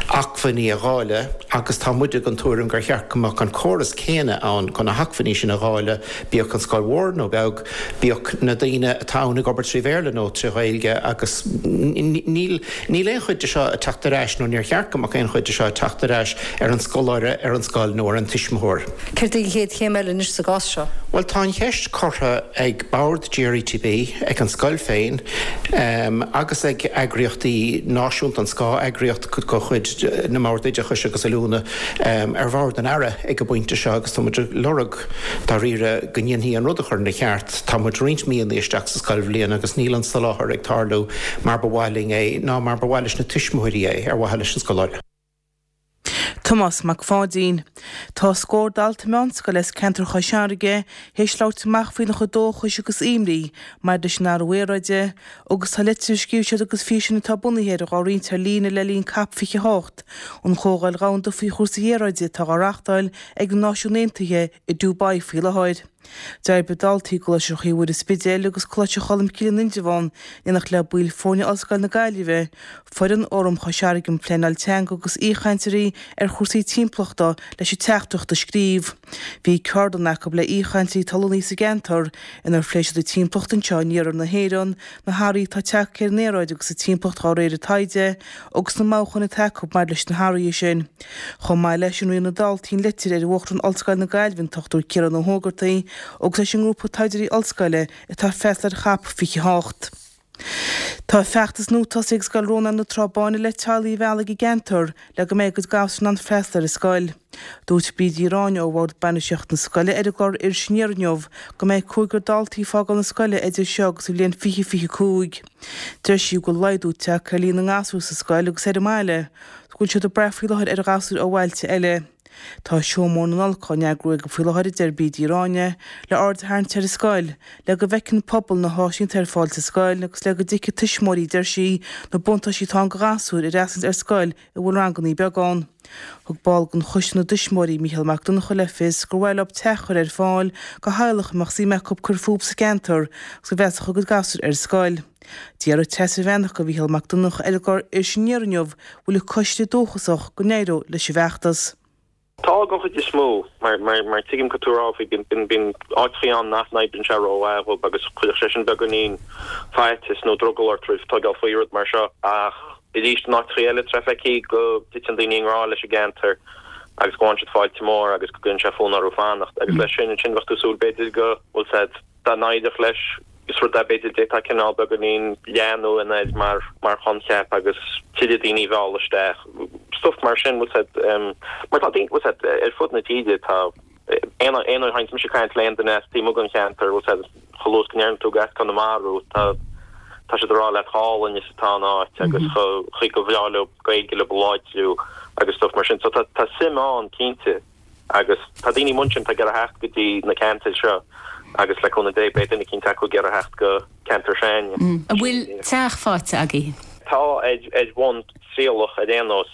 acmhainní a dháileadh agus tá muide den tuairim gur cheart go mbeadh an córas céanna ann chun na hacmhainní sin a dháileadh, bíodh an scoil mhór nó beag, bíodh na daoine atá ann ag obair trí Bhéarla nó trí Ghaeilge agus níl níl aon chuid de seo ag teacht ar ais nó níor cheart go mbeadh aon chuid de seo ag teacht ar ais ar an scoláire, ar an scoil nó ar an tuismitheoir. Céard é an chéad chéim eile anois sa gcás seo? Bhuel, tá an cheist curtha ag bord GRETB, ag an scoil féin agus ag eagraíochtaí náisiúnta, an scáth-eagraíocht de chuid na mBord Oideachais agus Oiliúna, ar bhord an Aire ag an bpointe seo agus tá muid ag lorg dáiríre go ndéanfaí an rud a chur ina cheart. Tá muid roinnt míonna isteach sa scoilbhliain agus níl an soláthar ag tarlú mar ba mhaith linn é ná mar ba mhaith leis na tuismitheoirí é ar mhaithe leis an scoláire. Tomás Mac Pháidín. Tá scór dalta meánscoile as ceantar Chois Fharraige théis labhairt amach faoina chuid dóchais agus imní maidir leis an athrú aeráide agus tá litir a scríobh siad agus físeán atá bunaithe air á roinnt ar líne le linn Cop fiche a hocht, an chomhdháil dhomhanda faoi chúrsaí aeráide atá á reáchtáil ag na Náisiúin Aontaithe i Dubai faoi láthair. D'oibrigh daltaí i gColáiste Chroí Mhuire Spidéil agus Coláiste Cholmcille in Indreabhán in éineacht le baill foirne Ollscoil na Gaillimhe, foireann Fhóram Chois Fharraige um Pleanáil Teanga agus aoichainteoirí ar chúrsaí timpeallachta leis an teachtaireacht a scríobh. Bhí ceardlann acu le aoichainteoirí atá lonnaithe sa gceantar inar phléigh siad an timpeallacht anseo in iarthar na hÉireann, na hathruithe atá tagtha ar an aeráid agus an timpeallacht dá réir an taighde agus na mothúcháin atá acu maidir leis na hathruithe sin. Chomh maith leis sin, roinn na daltaí an litir ar Uachtarán Ollscoil na Gaillimhe, an Dochtúir Ciarán Ó hÓgartaigh, agus leis an ngrúpa taighdeoirí ollscoile atá ag freastal ar Chop fiche a hocht. Tá feachtas nua tosaithe ag Scoil Rónáin na Trá Báine le teaghlaigh a mhealladh ag an gceantar le go mbeidh a gcuid gasúr in ann freastal ar an scoil. Dúirt Bríd Uí Ráinne ó Bhord Bainistíochta na scoile ar an gclár Iris Aniar inniu go mbeidh cúigear daltaí ag fágáil na scoile idir seo agus an bhliain fiche fiche cúig. Deir sí go bhfuil laghdú tagtha ar líon na ngasúr sa scoil agus ar an mbaile, go bhfuil siad ag brath faoi láthair ar ghasúir ó bhailte eile. Tá seó mór na Nollag á n-eagrú acu faoi láthair, a deir Bríd Uí Ráinne, le aird a tharraingt ar an scoil, le go bhfeiceann an pobal na háiseanna atá ar fáil sa scoil agus le go dtuigfidh tuismitheoirí, a deir sí, na buntáistí atá ann do ghasúir a fhreastal ar scoil a bhfuil ranganna beaga ann. Thug ball den choiste na dtuismitheoirí, Mícheál Mac Donncha, le fios gur mhaith leo teach a chur ar fáil do theaghlach a mbeadh suim acu cur fúthu sa gceantar agus a mheallfadh a gcuid gasúr ar an scoil. D'fhiafraigh Treasa Bhreathnach de Mhícheál Mac Donncha ar an gclár Iris Aniar inniu an bhfuil an coiste dóchasach go n-éireoidh leis an bhfeachtas. Tá den chuid is mó, mar mar tuigim cad tá tú a rá faoi, bíonn bíonn áiteachaí ann nach n-oibríonn sé rómhaith dhóibh agus chuirfeadh sé sin beagáinín faitíos nó drogall ort roimh tógáil faoi rud mar seo ach arís in áiteachaí eile tá feicthe go dtiteann daoine i ngrá leis an gceantar agus go bhfaigheann siad fáilte mór agus go gcuireann sé fonn orthu fanacht agus leis sin ansin bheadh tú ag súil b'fhéidir go bhfuil said dá n-éireodh leis, is rud é b'fhéidir d'fhéadfá cineál beagáinín leathnú air mar mar choincheap agus tuilleadh daoine a mhealladh isteach, stuff mar sin, bhfuil said, mar tá daoine, bhfuil said, ar fud na tíre tá aon aon uair a théanns mise ag caint le aon duine as taobh amuigh den cheantar, bhfuil said, chomh luath is go ndeireann tú gur as Conamara thú, tá tá siad ag rá leat chomh hálainn is atá an áit agus chomh chaoi gur bhreá leo Gaeilge leo a láidriú agus stuff mar sin, so tá tá suim ann cinnte. Agus tá daoine amuigh ansin atá ag iarraidh theacht go dtí na ceantair seo agus le cúnamh Dé beidh duine eicínt acu ag iarraidh theacht go ceantar s'againne. An bhfuil teach faighte agaibh? Tá, ar bhonn trialach ar aon nós.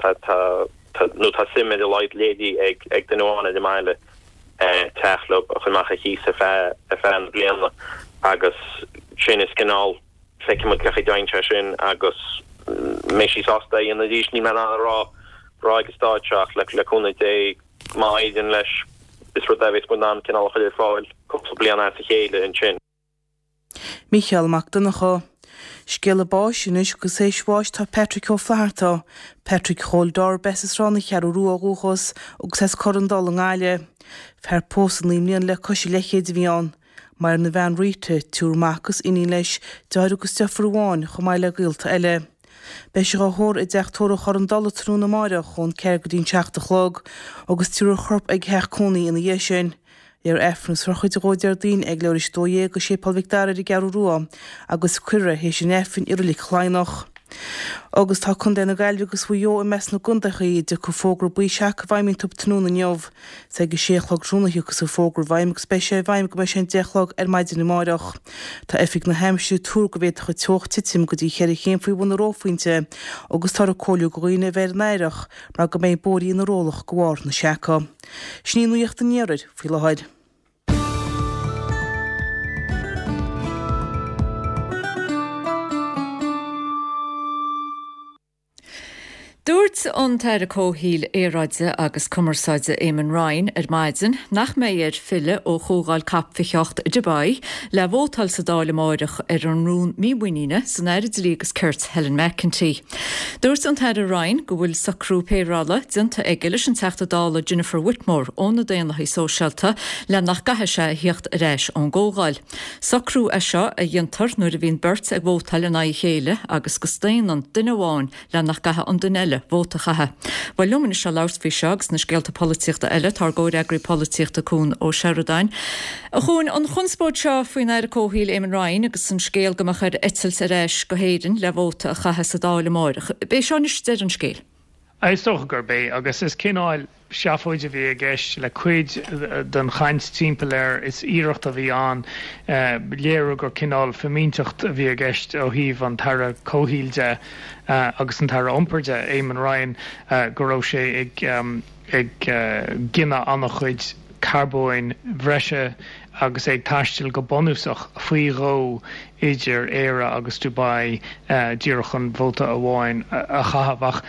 Tá, tá, nó tá suim ar a laghad léirithe ag, ag duine amháin ar an mbaile teach leo a chur amach ar chíos ar feadh, ar feadh na bliana agus sin is cineál, feicfidh muid cén chaoi a dtéann sé sin agus mbeidh sí sásta é a dhéanamh arís. Níl mé in ann a rá rá ag an stáid seo ach le cúnamh Dé má éiríonn leis is rud é a bheas muid in ann cineál a chur ar fáil cúpla bliain as a chéile ansin. Mícheál Mac Donncha. Scéala báis anois agus théis bháis tá Patrick Ó Flatharta, Patrick Chóil darb as Sráid na Ceathrú Rua ó dhúchas agus as Corr an Dola i nGaillimh. Fear pósta naoi mbliana le cois a leithchéid a bhí ann. Maireann a bhean Rita, triúr mac agus iníon leis, deartháir agus deirfiúr amháin chomh maith le gaolta eile. Beidh sé á thórramh i dteach tórraimh Chorr an Dola tráthnóna amáireach ón ceathair go dtí an seacht a chlog agus tabharfar a chorp ag a theach cónaí ina dhiaidh sin. Léifear Aifreann is sochraid dhó Déardaoin ag leathuair tar éis a dó dhéag i Séipéal Mhic Dara ar an gCeathrú Rua agus cuirfear é théis an Aifrinn i Reilig Chladhnach. Agus tá Contae na Gaillimhe agus Mhaigh Eo i measc na gcontaethaí a dtiocfaidh fógra buí seaca i bhfeidhm iontu tráthnóna inniu. Is ag a sé a chlog tráthnóna a thiocfas an fógra i bhfeidhm agus beidh sé i bhfeidhm go mbeidh sé an deich a chlog ar maidin amáireach. Tá Oifig na hAimsire ag tuar go bhféadfadh an teocht titim go dtí cheithre chéim faoi bhun an reophointe agus táthar ag comhairliú do dhaoine a bheith ar an airdeall mar go mbeidh bóithrí ina rollach de bharr na seaca. Sin í nuacht an iarthair faoi láthair. Dúirt an tAire Comhshaoil, Aeráide agus Cumarsáide Eamon Ryan ar maidin nach mbeidh air filleadh ó Chomhdháil Cop fiche a hocht i Dubai le vótáil sa Dáil amáireach ar an rún mímhuiníne san Aire Dlí agus Cirt Helen McEntee. Dúirt an tAire Ryan go bhfuil socrú péireála déanta aige leis an Teachta Dála Jennifer Whitmore ó na Daonlathaigh Sóisialta le nach gcaithfidh sé a theacht ar ais ón gcomhdháil. Socrú é seo a dhéantar nuair a bhíonn beirt ag vótáil in aghaidh a chéile agus go staonann duine amháin le nach gcaithfidh an duine eile vóta a chaitheamh. Bhuel liom anois le labhairt faoi seo agus na scéalta polaitíochta eile tá ár gcomhfhreagraí polaitíochta Cuan Ó Seireadáin. A Chuain, an chonspóid seo faoin Aire Comhshaoil Eamon Ryan agus an scéal go mbeadh air eitilt ar ais go hÉirinn le vóta a chaitheamh sa Dáil amáireach. B'é seo anois deireadh an scéil. Is dócha gurb é agus is cineál seafóid a bhí i gceist le cuid den chaint timpeall air, is iarracht a bhí ann léiriú gur cineál fimínteacht a bhí i gceist ó thaobh an tAire Comhshaoil de agus an tAire Iompair de, Eamon Ryan, go raibh sé ag ag gineadh an-chuid carbóin bhreise agus é ag taisteal go bunúsach faoi dhó idir Éire agus Dubai díreach chun vóta amháin a chaitheamh. Ach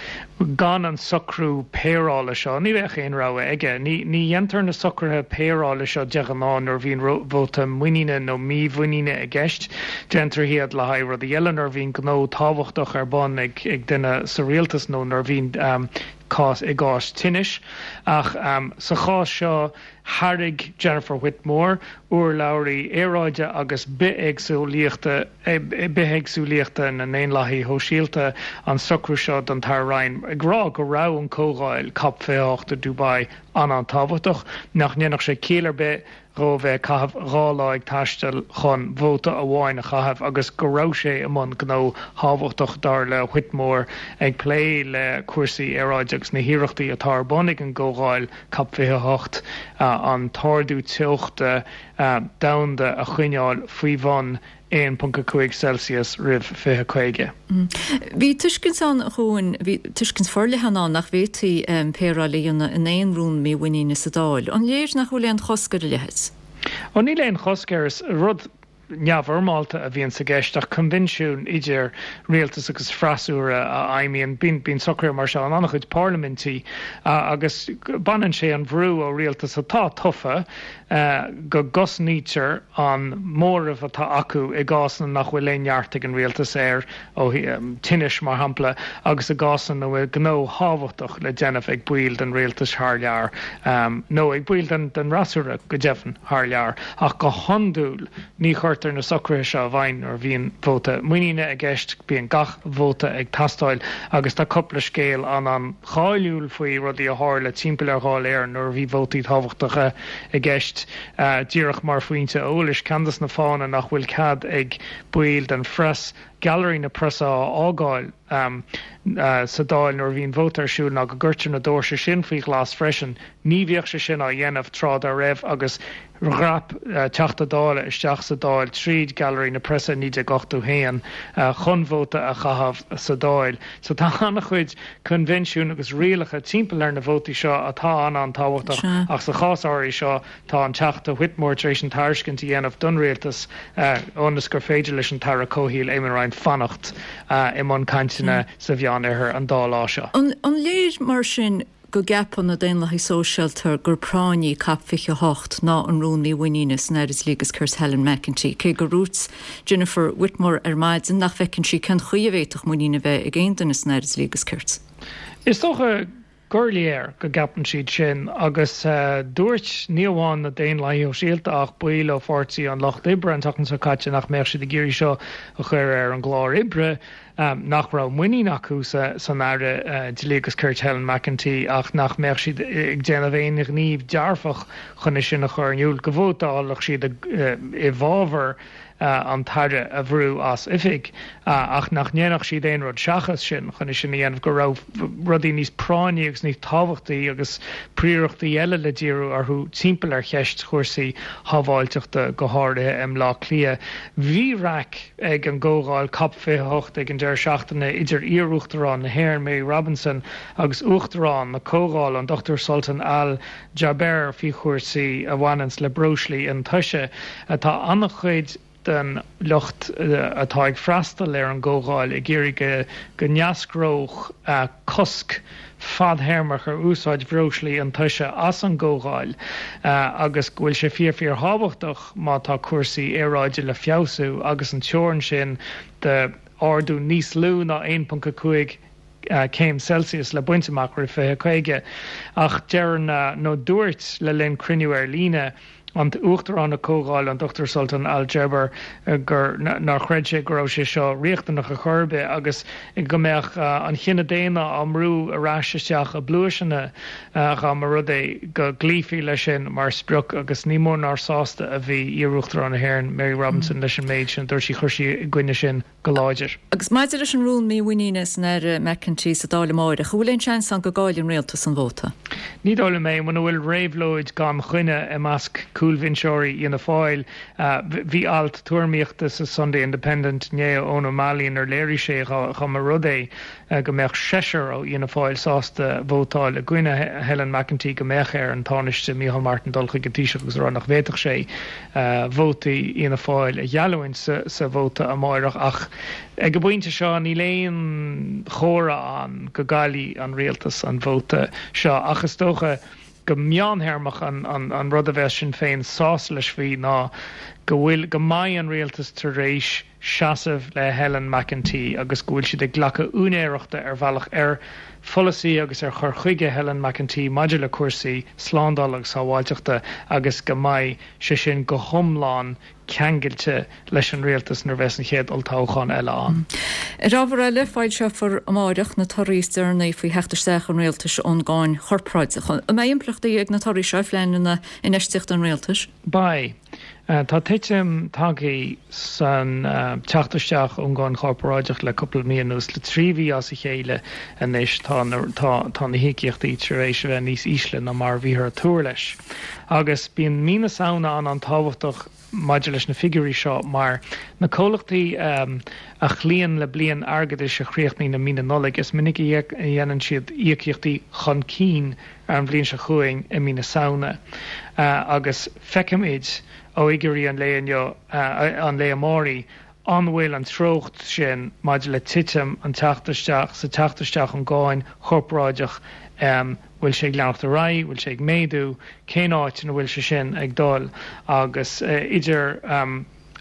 gan an socrú péireála seo, ní bheadh aon rogha aige. Ní dhéantar na socruithe péireála seo de ghnáth nuair a bhíonn vóta muiníne nó mímhuiníne i gceist. Déantar iad le haghaidh rudaí eile, nuair a bhíonn gnó tábhachtach ar bun ag duine sa rialtas nó nuair a bhíonn cás i gcás tinnis. Ach sa chás seo, thairg Jennifer Whitmore, urlabhraí aeráide agus bithéagsúlaíochta bithéagsúlaíochta na nDaonlathaithe Shóisialta, an socrú seo don tAire Ryan, ag rá go raibh an comhdháil Cop fiche a hocht i Dubai an-an-tábhachtach, nach ndéanfadh sé ciall ar bith dhó bheith ag caitheamh dhá lá ag taisteal chun vóta amháin a chaitheamh agus go raibh sé i mbun gnó thábhachtach, dar le Whitmore, ag plé le cúrsaí aeráide agus na hiarrachtaí atá ar bun ag an gcomhdháil Cop fiche a hocht an t-ardú teochta domhanda a choinneáil faoi bhun aon ponc a cúig Celsius roimh fiche caoga. Bhí tuiscint ann, a Chuain, bhí tuiscint forleathan ann nach bhféadfaí péireáil a dhéanamh in aon rún mímhuiníne sa Dáil. An léir nach bhfuil aon chosc ar a leithéid? Ó níl aon chosc air. Is rud neamhfhoirmeálta a bhíonn sa gceist ach coinbhinsiún idir rialtas agus freasúra a fheidhmíonn. Bíonn socruithe mar seo in an-chuid parlaimintí agus baineann sé an bhrú ó rialtas atá tofa go gcosnaítear an móramh atá acu i gcásanna nach bhfuil aon neart ag an rialtas air, ó tinnis mar shampla, agus i gcásanna ina bhfuil gnó thábhachtach le déanamh ag baill den rialtas thar lear, nó ag baill den fhreasúra go deimhin thar lear. Ach go hiondúil ní chuirtear na socruithe seo i bhfeidhm nuair a bhíonn vóta muiníne i gceist, bíonn gach vóta ag teastáil agus tá cúpla scéal an-an-cháiliúil faoi rudaí a tharla timpeall ar Dháil Éireann nuair a bhí vótaí tábhachtacha i gceist. Díreach mar phointe eolais, ceann de na fáthanna nach bhfuil cead ag baill den phreas Gailearaí na Preasa a fhágáil sa Dáil nuair a bhíonn vóta ar siúl ná go gcuirtear na doirse sin faoi ghlas freisin. Ní bhíodh sé sin á dhéanamh tráth dá raibh agus dhreap Teachta Dála isteach sa Dáil tríd Gailearaí na Preasa i naoi déag ochtó a haon chun vóta a chaitheamh sa Dáil. So tá an-chuid coinbhinsiún agus rialacha timpeall ar na vótaí seo atá an-an-tábhachtach ach sa chás áirithe seo tá an Teachta Whitmore tar éis an tairiscint a dhéanamh don Rialtas ionas gur féidir leis an tAire Comhshaoil Eamon Ryan fanacht i mbun cainteanna sa Mheánoirthear an dá lá seo. An léir mar sin go gceapann na Daonlathaigh Sóisialta gur práinní COP fiche a hocht ná an rún mímhuiníne san Aire Dlí agus Cirt Helen McEntee, cé gur dhúirt Jennifer Whitmore ar maidin nach bhfeiceann sí cén chaoi a bhféadfadh muinín a bheith ag aon duine san Aire Dlí agus Cirt. Is dócha gur léir go gceapann siad sin agus dúirt ní amháin na Daonlathaigh Shóisialta ach baill ó Pháirtí an Lucht Oibre an tseachtain seo caite nach mbeadh siad ag iarraidh seo a chur ar an gclár oibre, nach raibh muinín acu san Aire Dlí agus Cirt Helen McEntee ach nach mbeadh siad ag déanamh aon ghníomh dearfach chun é sin a chur in iúl, go vótálfadh siad i bhfabhar an tAire a bhrú as oifig ach nach ndéanfadh siad aon rud seachas sin chun é sin a dhéanamh, go raibh rudaí níos práinní agus níos tábhachtaí agus príorachtaí eile le díriú orthu timpeall ar cheist chúrsaí shábháilteachta go háirithe i mBleá Cliath. Bhí raic ag an gcomhdháil cop fiche a hocht ag an deireadh seachtaine idir iar-Uachtarán na hÉireann Mary Robinson agus Uachtarán na Comhdhála an Dochtúir Sultan Al Jaber faoi chúrsaí a bhaineanns le breoslaí iontaise. Tá an-chuid den lucht atá ag freastal ar an gcomhdháil ag iarraidh go n-eascródh cosc fadthéarmach ar úsáid bhreoslaí iontaise as an gcomhdháil agus go bhfuil sé fíor fíor thábhachtach má tá cúrsaí aeráide le feabhsú agus an teorainn sin de ardú níos lú ná aon ponc a cúig céim Celsius le baint amach roimh fiche caoga. Ach deireann nó dúirt le linn cruinniú ar líne an tUachtarán na Comhdhála, an Dochtúir Sultan Al Jaber, gur nár chreid sé go raibh sé seo riachtanach ar chor ar bith agus go mbeadh an chine daonna á mbrú ar ais isteach i bpluaiseanna dá mba rud é go gcloífí leis sin mar sprioc agus ní mór nár sásta a bhí iar-Uachtarán na hÉireann, Mary Robinson, leis an méid sin a dúirt sí. Chuir sí i gcoinne sin go láidir. Agus maidir leis an rún mímhuiníne san Aire McEntee sa Dáil amáireach, an bhfuil aon seans ann go gcaillfidh an rialtas an vóta? Ní dóigh liom é. Muna bhfuil réabhlóid gan choinne i measc cúlbhinseoirí Fhianna Fáil, bhí alt tuairimíochta sa Sunday Independent inné ó Eoin Ó Mailín inar léirigh sé dá mba rud é go mbeadh seisear ó Fhianna Fáil sásta vótáil i gcoinne Helen McEntee go mbeadh ar an Tánaiste Micheál Martin dul chuig an Taoiseach agus a rá nach bhféadfadh sé vótaí Fhianna Fáil a gheallúint sa vóta amáireach ach ag an bpointe seo níl aon chomhartha ann go gcaillfidh an rialtas an vóta seo ach is dócha go meántéarmach an rud a bheas Sinn Féin sásta leis faoi ná go bhfuil go mbeidh an rialtas tar éis seasamh le Helen McEntee agus go bhfuil siad ag glacadh úinéireachta ar bhealach ar pholasaí agus ar chur chuige Helen McEntee maidir le cúrsaí slándála agus sábháilteachta agus go mbeidh sé sin go hiomlán ceangailte leis an rialtas nuair a bheas an chéad olltoghchán eile ann. Ar ábhar eile, foilseofar amáireach na torthaí is deireanaí faoi theacht isteach an rialtais ón gcáin chorparáideach. An mbeidh impleachtaí ag na torthaí seo ar phleananna infheistíochta an rialtais? Beidh. Tá titim tagtha san teacht isteach ón gcáin chorparáideach le cúpla mí anuas, le trí mhí as a chéile anois tá na tá na híocaíochtaí tar éis a bheith níos ísle ná mar a bhíothar ag tuar leis. Agus bíonn mí na Samhna an-an-tábhachtach maidir leis na figiúirí seo mar na comhlachtaí a chloíonn le bliain airgeadais a chríochnaíonn i mí na Nollag, is minic a dhéanann siad íocaíochtaí chun cinn ar an bhliain seo chugainn i mí na Samhna. Agus feicfimid ó fhigiúirí an lae inniu, an lae amáireach, an bhfuil an treocht sin maidir le titim an teacht isteach sa teacht isteach ón gcáin chorparáideach, bhfuil sé ag leanacht ar aghaidh, bhfuil sé ag méadú, cén áit ina bhfuil sé sin ag dul agus idir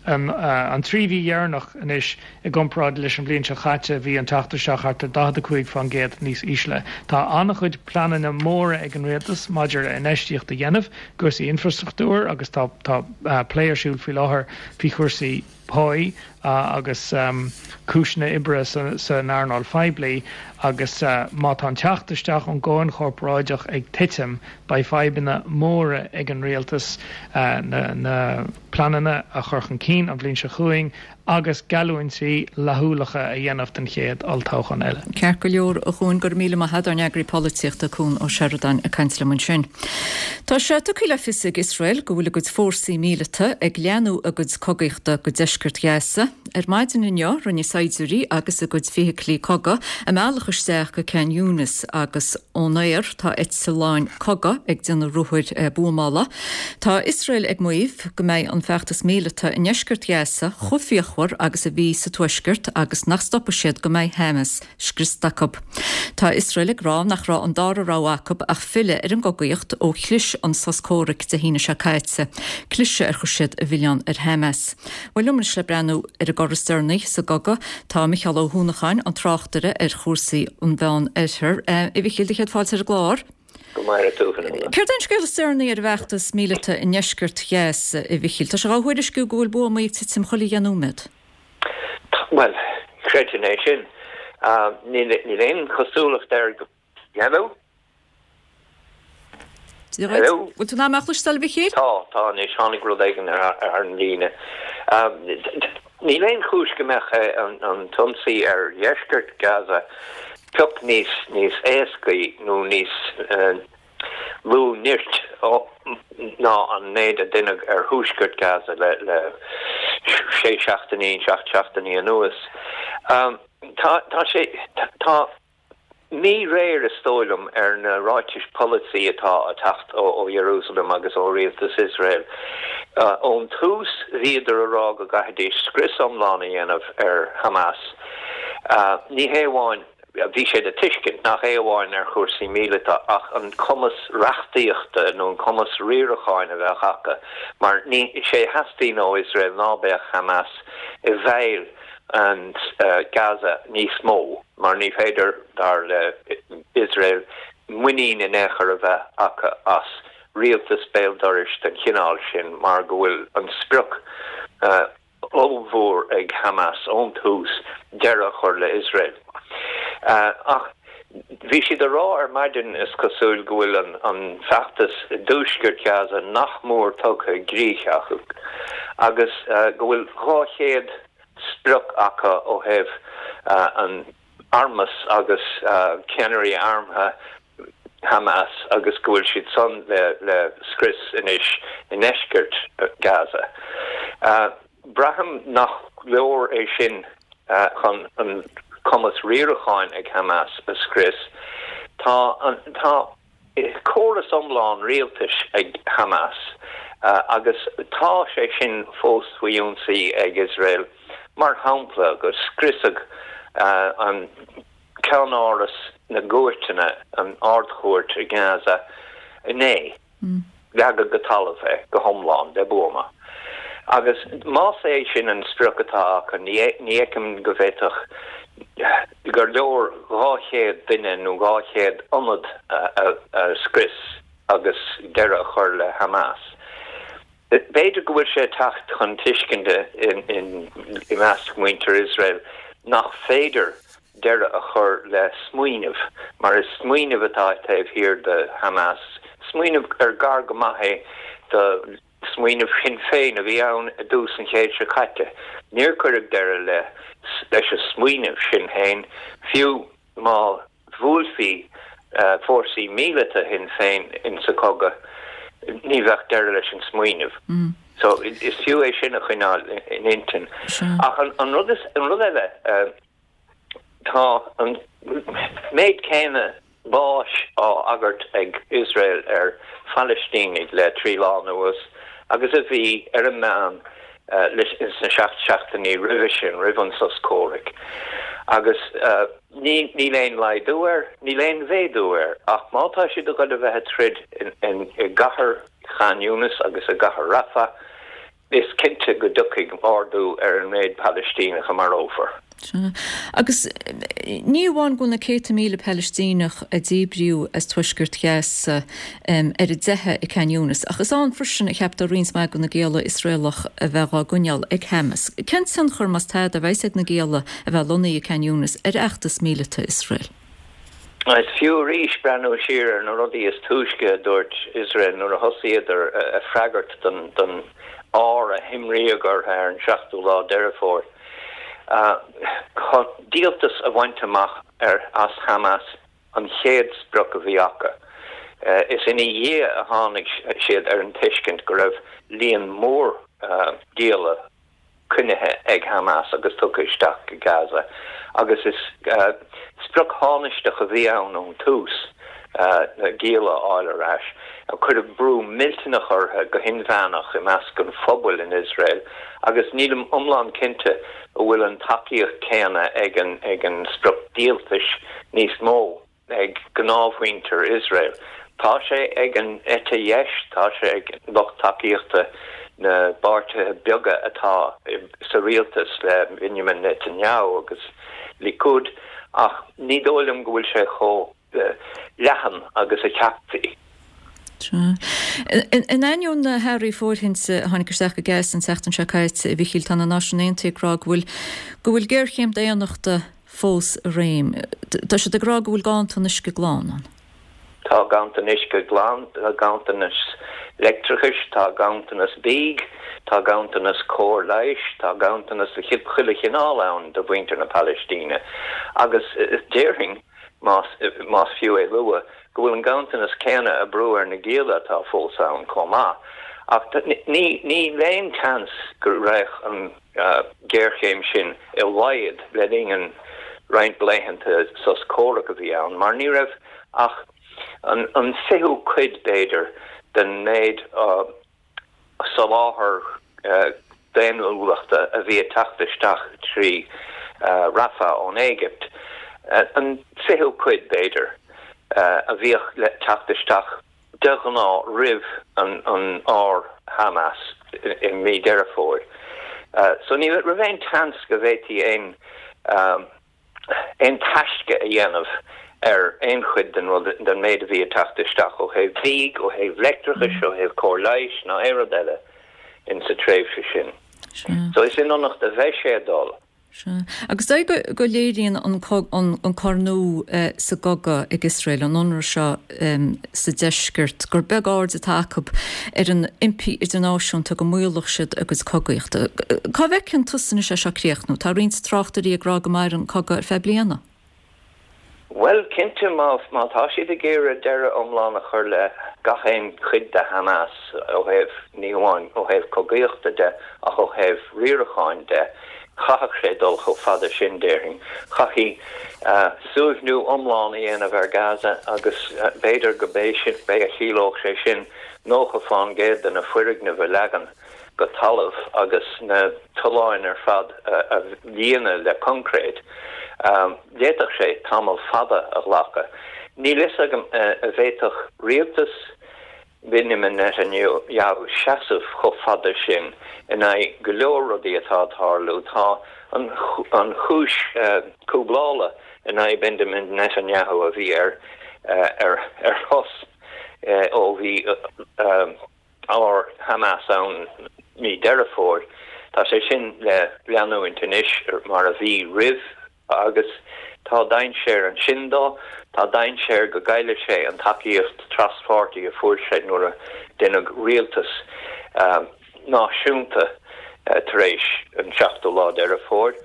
an trí mhí dheireanach anois i gcomparáid leis an bhliain seo caite bhí an teacht isteach thart ar daichead a cúig faoin gcéad níos ísle. Tá an-chuid pleananna móra ag an rialtas maidir le infheistíocht a dhéanamh i gcúrsaí infrastruchtúir agus tá tá plé ar siúl faoi láthair faoi chúrsaí páí agus cúiseanna oibre san earnáil phoiblí agus má tá an teacht isteach ón gcáin chorparáideach ag titim, beidh fadhbanna móra ag an rialtas na pleananna a chur chun cinn an bhliain seo chugainn agus geallúintí flaithiúlacha a dhéanamh don chéad olltoghchán eile. Ceart go leor, a Chuain, go raibh míle maith agat, ár n-eagraí polaitíochta, Cuan Ó Seireadáin ag caint liom ansin. Tá sé tugtha le fios ag Iosrael go bhfuil a gcuid fórsaí míleata ag leathnú a gcuid cogaíochta go deisceart Ghaza. Ar maidin inniu, rinne saighdiúirí agus a gcuid feithiclí cogaidh a mbealach isteach go Khan Younis agus ón aer tá eitleáin cogaidh ag déanamh ruathair buamála. Tá Iosrael ag maíomh go mbeidh an feachtas míleata i ndeisceart Ghaza chomh fíochmhar luachmhar agus a bhí sa Tuaisceart agus nach stopfaidh siad go mbeidh Hamas scriosta acu. Tá Iosrael ag rá nach raibh an dara rogha acu ach filleadh ar an gcogaíocht ó chlis an sos comhraic Dé hAoine seo caite, cliseadh ar chuir siad an milleán ar Hamas. Bhuel liom anois le breathnú ar an gcor is deireanaí sa gcogadh tá Micheál Ó hUanacháin, an tráchtaire ar chúrsaí an Mheán-Oirthir. A Mhichíl, do chéad fáilte ar an gclár. Go maire tú, Fionnuala. Céard é an scéal is deireanaí ar an bhfeachtas míleata i ndeisceart Ghaza, a Mhichíl? Tá sé á thuairisciú go bhfuil buamaí ag titim chuile dheich nóiméad. Bhuel, chreidfinn é sin. Níl aon chosúlacht air go. Hello? Hello? Bhfuil tú in ann mé a chloisteáil, a Mhichíl? Tá, tá anois. Tháinig rud éigin ar an líne. Níl aon chúis go mbeadh an t-ionsaí ar dheisceart Gaza pioc níos níos éascaí nó níos lú nirt ná an méid a deineadh ar thuaisceart Gaza le le sé seachtainí, seacht seachtainí anuas. Tá tá sé tá míréir, is dóigh liom, ar na ráitis polasaí atá ag teacht ó Iarúsailéim agus ó rialtas Iosrael. Ón tús bhíodar a rá go gcaithfidís scrios iomlán a dhéanamh ar Hamas. Ní hé amháin, bhí sé le tuiscint, nach é amháin ar chúrsaí míleata ach an cumas reachtaíochta nó an cumas riaracháin a bheadh acu mar ní, sé a theastaíonn ó Iosrael ná beadh Hamas i bhfeighil an Gaza níos mó mar ní féidir, dar le Iosrael, muinín in aon chor a bheith acu as rialtas béal dorais den chineál sin mar go bhfuil an sprioc ollmhór ag Hamas ón tús deireadh a chur le Iosrael. Ach bhí siad a rá ar maidin, is cosúil, go bhfuil an feachtas i dtuaisceart Ghaza nach mór tugtha i gcrích acu agus go bhfuil dhá chéad sprioc acu ó thaobh an armas agus ceannairí armtha Hamas agus go bhfuil siad san le scrios anois i ndeisceart Gaza. Braithim nach leor é sin chun an cumas riaracháin ag Hamas a scrios. Tá tá córas iomlán rialtais ag Hamas agus tá sé sin fós faoi ionsaí ag Iosrael, mar shampla gur scriosadh an ceannáras na gcúirteanna, an Ard-Chúirt i nGaza inné. Leagadh go talamh é go hiomlán le buama. Agus más é sin an sprioc atá acu, ní fheicim go bhféadfadh gur leor dhá chéad duine nó dhá chéad ionad a scrios agus deireadh a chur le Hamas. B'fhéidir go bhfuil sé ag teacht chun tuiscinte i measc muintir Iosrael nach féidir deireadh a chur le smaoineamh, mar is smaoineamh atá taobh thiar de Hamas, smaoineamh ar gar go maith é do smaoineamh Shinn Féin a bhí ann i dtús an chéid seo caite. Níor cuireadh deireadh le leis an smaoineamh sin féin, fiú má bhuailfí fórsaí míleata Shinn Féin insa chogadh, ní bheadh deireadh leis an smaoineamh. So is fiú é sin a choinneáil in intinn. Ach an rud is, an rud eile, Tá an méid céanna báis á agairt ag Iosrael ar Phalaistínigh le trí lá anuas agus a bhí ar an meán sna seacht seachtainí roimhe sin, roimh an sos comhraic. Agus níl aon laghdú air, níl aon mhéadú air, ach má tá siad ag dul a bheith ag troid i gcathair Khan Younis agus i gcathair Rafah, Is cinnte go dtiocfaidh ardú ar an méid Palaistíneach a marófar. Sea. Agus ní amháin go bhfuil na céadta míle Palaistíneach a díbríodh as tuaisceart Ghaza ar a dteitheadh i Khan Younis, ach is ann freisin a cheaptar roinnt mhaith de na gialla Iosraelach a bheith á gcoinneáil ag Hamas. Cén tionchar, más tada, a bheas ag na gialla a bheith lonnaithe i Khan Younis ar fheachtas míleata Iosrael? Is fiú arís breathnú siar ar na rudaí is túisce a dúirt Iosrael nuair a thosaíodar ag freagairt don ár a himríodh orthu ar an seachtú lá Deireadh Fómhair. Chun díoltas a bhaint amach as Hamas an chéad sprioc a bhí acu. Is ina dhiaidh a tháinig siad ar an tuiscint go raibh líon mór gialla coinnithe ag Hamas agus tugtha isteach go Gaza agus is sprioc thánaisteach a bhí ann ón tús na gialla a fháil ar ais. Cuireadh brú millteanach orthu go hinmheánach i measc an phobail in Iosrael agus nílim iomlán cinnte an bhfuil an tacaíocht céanna ag an ag an sprioc díoltais níos mó ag gnáthmhuintir Iosrael. Tá sé ag an eite dheis, tá sé ag lucht tacaíochta na bpáirtithe beaga atá sa rialtas le Benjamin Netanyahu agus Likud, ach ní dóigh liom go bhfuil sé chomh leathan agus a cheapfaí. In ainneoin na hearraí fóirithinte a tháinig isteach go Gaza an tseachtain seo caite, a Mhichíl, tá na Náisiúin Aontaithe ag rá go bhfuil go bhfuil géarchéim daonnachta fós i réim. Tá siad ag rá go bhfuil ganntan uisce glan ann. Tá ganntan uisce glan, tá ganntanas leictreachais, tá ganntanas bídh, tá ganntanas cóir leighis, tá ganntanas de chuile chineál ann do mhuintir na Palaistíne. Agus déarfainn, más más fiú é lua, go bhfuil an ganntanas céanna ag brú ar na gialla atá fós ann chomh maith. Ach ní níl aon tseans go raghadh an ghéarchéim sin i laghad le linn an roinnt laethanta sos comhraic a bhí ann, mar ní raibh ach an an fichiú cuid, b'fhéidir, den méid soláthar daonnúlachta a bhí ag teacht isteach trí Rafah ón Éigipt, an fichiú cuid, b'fhéidir, a bhíodh le teacht isteach de ghnáth roimh an an ár Hamas i mí Deireadh Fómhair. So ní raibh aon tseans go bhféadfaí aon aon taisce a dhéanamh ar aon chuid den rud, den méid a bhí ag teacht isteach ó thaobh bídh, ó thaobh leictreachais, ó thaobh cóir leighis ná aon rud eile in sa tréimhse sin. So is in ionacht a bheidh sé ag dul. Sea. Agus dóigh go go léiríonn an an cor nua sa gcogadh ag Iosrael, an ionradh seo sa deisceart, gur beag aird atá acu ar an impí idirnáisiúnta go maolódh siad a gcuid cogaíochta. Cá bhfeiceann tusa anois é seo ag críochnú? Tá roinnt tráchtairí ag rá go mairfidh an cogadh ar feadh bliana. Bhuel, cinnte, má má tá siad ag iarraidh deireadh iomlán a chur le gach aon chuid de Hamas ó thaobh, ní hamháin ó thaobh cogaíochta de ach ó thaobh riaracháin de, chaithfeadh sé dul chomh fada sin, déarfainn. Chaithfí suaimhniú iomlán a dhéanamh ar Gaza agus b'fhéidir go b'é sin, b'é a chiallódh sé sin nócha fán gcéad de na foirgnimh a leagan go talamh agus na tolláin ar fad a líonadh le coincréit. D'fhéadfadh sé tamall fada a ghlacadh. Níl fhios agam an bhféadfadh rialtas Benjamin Netanyahu seasamh chomh fada sin in aghaidh go leor rudaí atá ag tarlú. Tá an chúis cúblála in aghaidh Benjamin Netanyahu a bhí ar ar shos ó bhí ár Hamas ann mí Deireadh Fómhair. Tá sé sin le leanúint anois mar a bhí roimh agus tá dainséar ansin dó. Tá dainséar go gcaillfidh sé an tacaíocht traspháirtí a fuair sé nuair a deineadh rialtas náisiúnta tar éis an seachtú lá Deireadh Fómhair.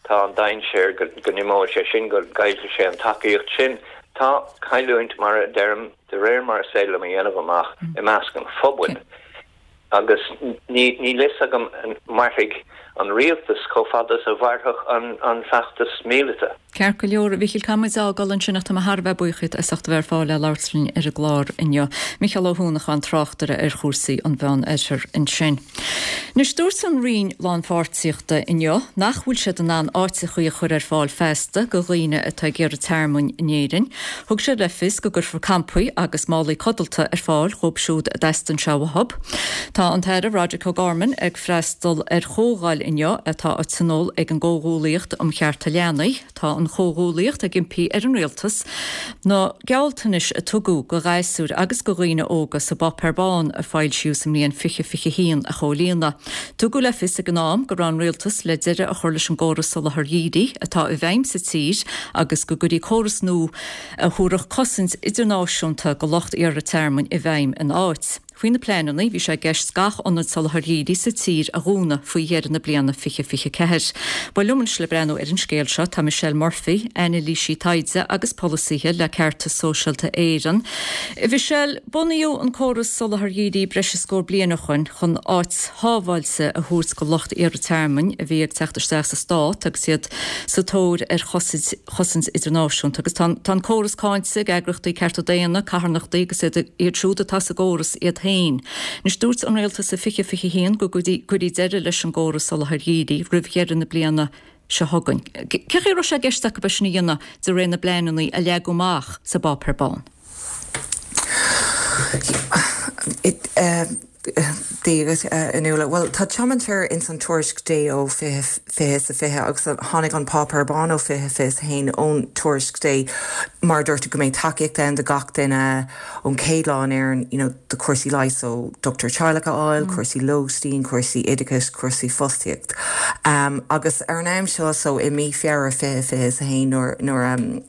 Tá an dainséar go n-imeoidh sé sin, go gcaillfidh sé an tacaíocht sin. Tá cailliúint, mar a deirim, de réir mar is féidir liom a dhéanamh amach, i measc an phobail agus níl fhios agam an mairfidh an rialtas chomh fada is a mhairfeadh an feachtas míleata. Ceart go leor, a Mhichíl, caithfidh muid a fhágáil ansin ach tá mé thar a bheith buíoch díot as ucht a bheith ar fáil le labhairt linn ar an gclár inniu. Micheál Ó hUanacháin, tráchtaire ar chúrsaí an Mheán Oirthir ansin. Anois, dúirt an Roinn Lánpháirtíochta inniu nach bhfuil siad in ann áiteachaí a chur ar fáil feasta go dhaoine atá ag iarraidh tearmainn in Éirinn. Thug sé le fios go gcuirfear campaí agus málaí codlata ar fáil dhóibh siúd a dteastaíonn sé uathu. Tá an tAire Roderic O'Gorman ag freastal ar chomhdháil inniu atá á tionól ag an gComhghuallaíocht um Chearta Leanaí. Tá an Chomhghuallaíocht ag impí ar an Rialtas na gealltanais a tugadh go ghasúir agus go dhaoine óga sa bPáipéar Bán a foilsíodh sa mbliain fiche fiche haon a chomhlíonadh. Tugadh le fios ag an am go raibh an Rialtas le deireadh a chur leis an gcóras soláthair dhírigh atá i bhfeidhm sa tír agus go gcuirfí córas nua a thabharfadh cosaint idirnáisiúnta go lucht iarrtha tearmainn i bhfeidhm ina áit. Faoi na pleananna, bhí sé i gceist gach ionad soláthair dhírigh sa tír a dhúnadh faoi dheireadh na bliana fiche fiche ceathair. Bhuel, liom anois le breathnú ar an scéal seo tá Michelle Murphy, anailísí taighde agus polasaithe le Ceartas Sóisialta Éireann. Michelle, bunaíodh an córas soláthair dhírigh breis is scór bliain ó shoin chun áit shábháilte a thabhairt go lucht iarrtha tearmainn a bhí ag teacht isteach sa stát agus iad sa tóir ar chosaint idirnáisiúnta. Agus tá an córas cáinte ag eagraíochtaí cearta daonna, carthanachtaí agus iad siúd atá sa gcóras iad féin. Anois dúirt an rialtas i fiche fiche haon go gcuirfí deireadh leis an gcóras soláthair dhírigh roimh dheireadh na bliana seo chugainn. Cé chaoi a raibh sé i gceist acu é sin a dhéanamh de réir na bpleananna a leagadh amach sa bpáipéar bán? Dia dhuit, a Nuala. Bhuel, tá tiomantas ins an tuairisc Day ó fiche fiche is a fiche agus tháinig an páipéar bán ó fiche fiche is a haon ón tuairisc Day mar a dúirt tú go mbeidh tacaíocht ann do gach duine ón chéad lá in Éirinn, you know, do chúrsaí leighis ó dochtúir teaghlaigh a fháil, cúrsaí lóistín, cúrsaí oideachais, cúrsaí fostaíocht. Um, agus ar an am seo so i mí Feabhra fiche fiche is a haon nuair nuair um,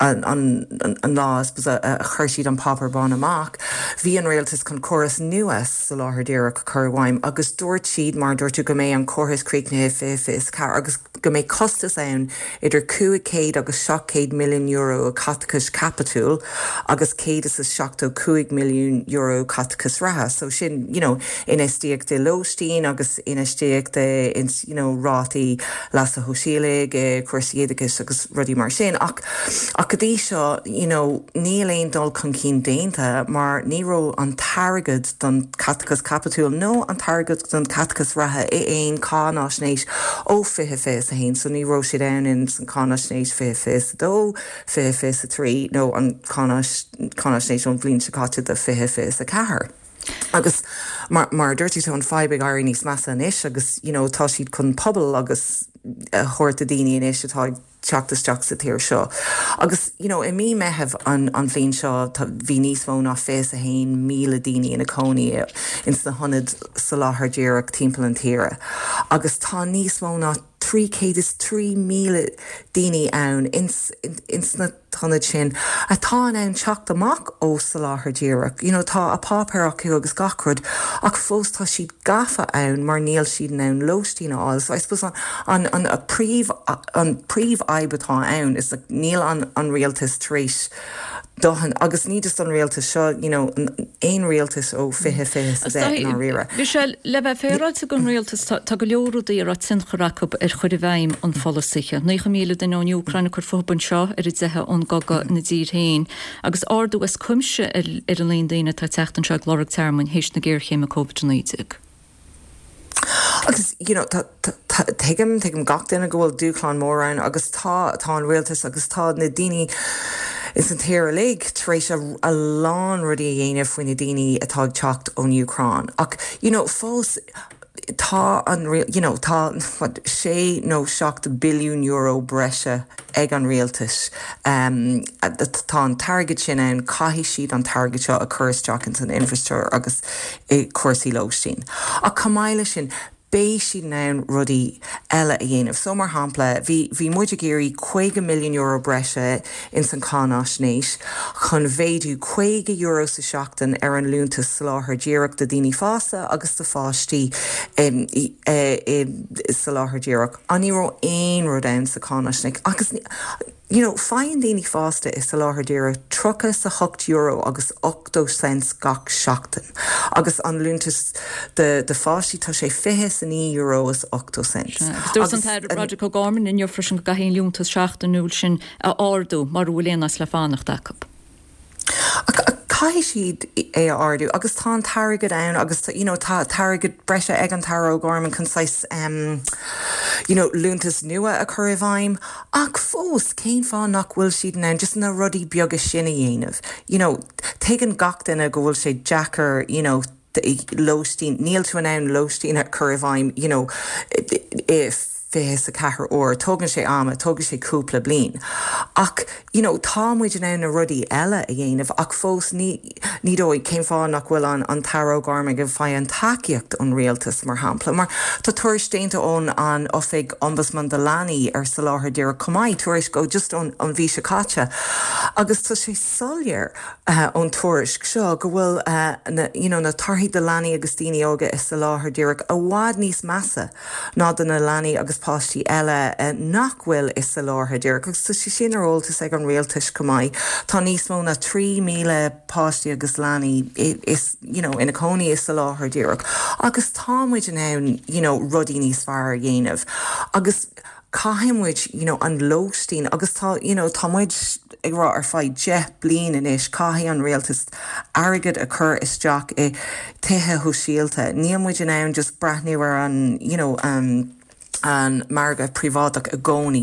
an, an, an, an lá I suppose, a, a chuir siad an páipéar bán amach, bhí an rialtas chun córas nua soláthar díreach a chur i bhfeidhm agus dúirt siad mar dúirt tú go mbeidh an córas críochnaithe fiche fiche is ceathair agus go mbeidh costas ann idir cúig chéad agus seacht chéad milliún euro caiteachas caipitiúil agus céad is a seachtó cúig milliún euro caiteachas reatha. So sin you know, infheistíocht i lóistín agus infheistíocht i ins, you know, rátaí leasa shóisialaigh, i cúrsaí oideachais agus rudaí mar sin. Ach, ach go dtí seo you know, níl aon dul chun cinn déanta mar ní raibh an t-airgead don caiteachas caipitiúil nó an t-airgead don caiteachas reatha i aon cáinaisnéis ó fiche fiche is a haon, so ní raibh siad ann in san cáinaisnéis fiche fiche is a dó, fiche fiche is a trí nó an cáinaisnéis ón bhliain seo caite do fiche fiche is a ceathair. Agus mar, mar a dúirt tú tá an fadhb ag éirí níos measa anois agus you know, tá siad chun puball agus a thabhairt do daoine anois atá ag teacht isteach sa tír seo. Agus you know, i mí Meitheamh an, an bhliain seo bhí níos mó ná fiche a haon míle daoine ina cónaí ins na hionaid soláthar díreach timpeall an tíre. Agus tá níos mó ná trí chéad is trí míle daoine ann ins, ins na hionaid sin atá in ann teacht amach ó soláthar díreach. You know, tá a páipéir acu agus gach rud ach fós tá siad gafa ann mar níl siad in ann lóistín a fháil. So I suppose an, an, an, a príomh, an príomhfhadhb atá ann is like, níl an, an rialtas tar éis dóthain agus ní just an rialtas seo you know, aon rialtas ó fiche fiche sa deich ndáiríre. Michelle, le bheith féaráilte don rialtas tá go leor rudaí a raibh tionchar acu ar chur i bhfeidhm an pholasaithe. Naocha míle duine ón Úcráin ag cur fúthu anseo ar a dteitheadh ón gcogadh ina dtír féin, agus ardú as cuimse ar ar an líon daoine atá ag teacht anseo ag lorg tearmainn théis na géarchéime Covid a naoi déag. Agus you know, tuigim tuigim gach duine go bhfuil dúshlán mór ann agus tá tá an rialtas agus tá na daoine ins an tír uilig tar éis a, a lán rudaí a dhéanamh faoi na daoine atá ag teacht ón Úcráin. Ach you know, fós tá an you know, tá what, sé nó seacht billiún euro breise ag an rialtas. Um, tá an t-airgead sin ann caithfidh siad an t-airgead seo a chur isteach in san infrastructure agus i cúrsaí lóistín. Ach chomh maith leis sin beidh siad in ann rudaí eile a dhéanamh. So mar shampla, bhí bhí muid ag iarraidh caoga milliún euro breise ins an cáinaisnéis chun mhéadú caoga euro sa seachtain ar an liúntas soláthar díreach do daoine fásta agus do pháistí um, i, i, i soláthar díreach. An ní raibh aon rud ann sa cáinaisnéis agus you know, faigheann daoine fásta i soláthar díreach tríocha is a hocht euro agus ochtó cent gach seachtain. Agus an liúntas de, de pháistí tá sé fiche is a naoi euro is ochtó cent. Dúirt an tAire Roderick O'Gorman inniu freisin go gcaithfí an liúntas seachtainiúil sin a ardú mura bhfuil aon áit le fanacht acu. Caithfidh siad é a ardú agus tá an t-airgead ann agus tá, you know, tá t-airgead breise ag an tAire O'Gorman chun saghas um, you know, liúntas nua a chur i bhfeidhm ach fós cén fáth nach bhfuil siad in ann just na rudaí beaga sin a dhéanamh. You know, tuigeann gach duine go bhfuil sé deacair, you know, lóistín níl tú in ann lóistín a chur i bhfeidhm, you know, if fiche is a ceathair uair, tógann sé ama, tógann sé cúpla bliain. Ach you know, tá muid in ann na rudaí eile a dhéanamh ach fós ní ní dóigh cén fáth nach bhfuil an an tAire O'Gorman ag fáil an tacaíocht ón rialtas mar shampla. Mar tá tuairisc déanta ón an Oifig Ombudsman do Leanaí ar soláthar díreach chomh maith tuairisc ó just ón an mhí seo caite. Agus tá sé soiléir uh, ón tuairisc seo go bhfuil uh, na, you know, na torthaí do leanaí agus daoine óga i soláthar díreach i bhfad níos measa ná do na leanaí agus páistí eile uh, nach bhfuil i soláthar díreach agus tá sé sin ar eolas ag an rialtas chomh maith. Tá níos mó ná trí míle páistí agus leanaí is you know, ina cónaí i soláthar díreach. Agus tá muid in ann you know, rudaí níos fearr a dhéanamh. Agus caithfidh muid you know, an lóistín agus tá you know, tá muid ag rá ar feadh deich bliain anois caithfidh an rialtas airgead a chur isteach i tithe sóisialta. Níl muid in ann just breathnú ar an you know, um, an margadh príobháideach i gcónaí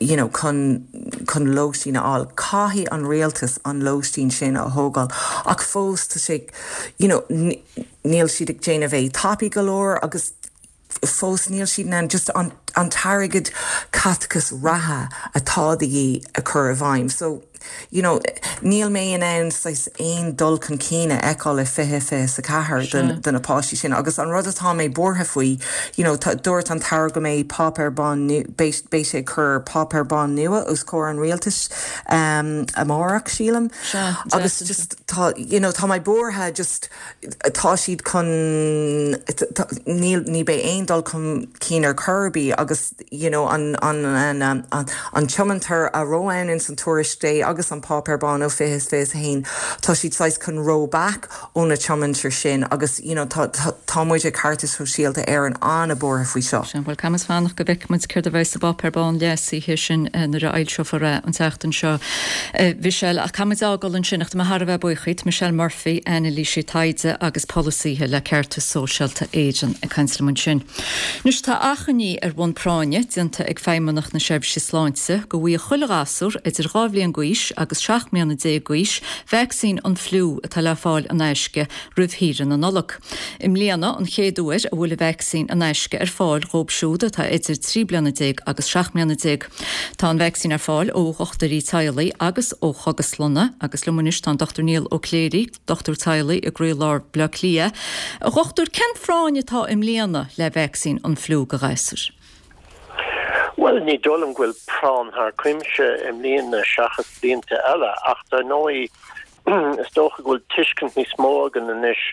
you know, chun chun lóistín a fháil. Caithfidh an rialtas an lóistín sin a thógáil ach fós tá sé you know, níl siad ag déanamh é tapaidh go leor agus fós níl siad an just an, an t-airgead caiteachas reatha atá de dhíth a chur i bhfeidhm. So you know, níl mé in ann aon dul chun cinn a fheiceáil le fiche fiche a ceathair do na páistí sin agus an rud atá mé buartha faoi you know, dúirt an tAire go mbeidh páipéar bán beidh sé chur páipéar bán nua os comhair an rialtais um, amárach sílim agus just tá you know, tá mé buartha just tá siad chun níl ní bheidh aon dul chun cinn ar chor ar bith agus you know, an, an, an, an, an, an tiomantas a raibh ann in san tuairisc Day agus an páipéar bán ó fiche fiche haon tá siad saghas chun roll back ó na tiomantais sin agus you know, tá, tá, tá muid ag Ceartas Sóisialta ar an an-bhuartha faoi seo. Sin bhuel caithfimid fanacht go bhfeicfimid céard a bheidh sa bpáipéar bán leasaithe sin eh, nuair a fhoilseofar é an tseachtain seo. Eh, Michelle ach caithfimid fágáil ansin ach tá mé thar a bheith buíoch Michelle Murphy anailísí taighde agus polasaithe le Ceartas Sóisialta Éireann ag caint liom ansin. Anois tá achainí ar bhonn práinne déanta ag Feidhmeannacht na Seirbhíse Sláinte go bhfaigheadh chuile ghasúr idir dhá bhliain d'aois agus seacht mbliana déag d'aois vacsaín an fliú atá le fáil in aisce roimh shaoire na Nollag. I mbliana an chéad uair a bhfuil vacsaín in aisce ar fáil dóibh siúd atá idir trí bliana déag agus seacht mbliana déag. Tá an vacsaín ar fáil ó dhochtúirí teaghlaigh agus ó chógaslanna agus liom anois tá an Dr Niall Ó Cléirigh, dochtúir teaghlaigh i gcroílár Bhaile Átha Cliath. A dhochtúir cén phráinn atá i mbliana le vacsaín an fliú do ghasúir. Well ní dóigh liom go bhfuil práinn thar cuimse i mbliana seachas blianta eile ach dar ndóigh is dócha go bhfuil tuiscint níos mó againn anois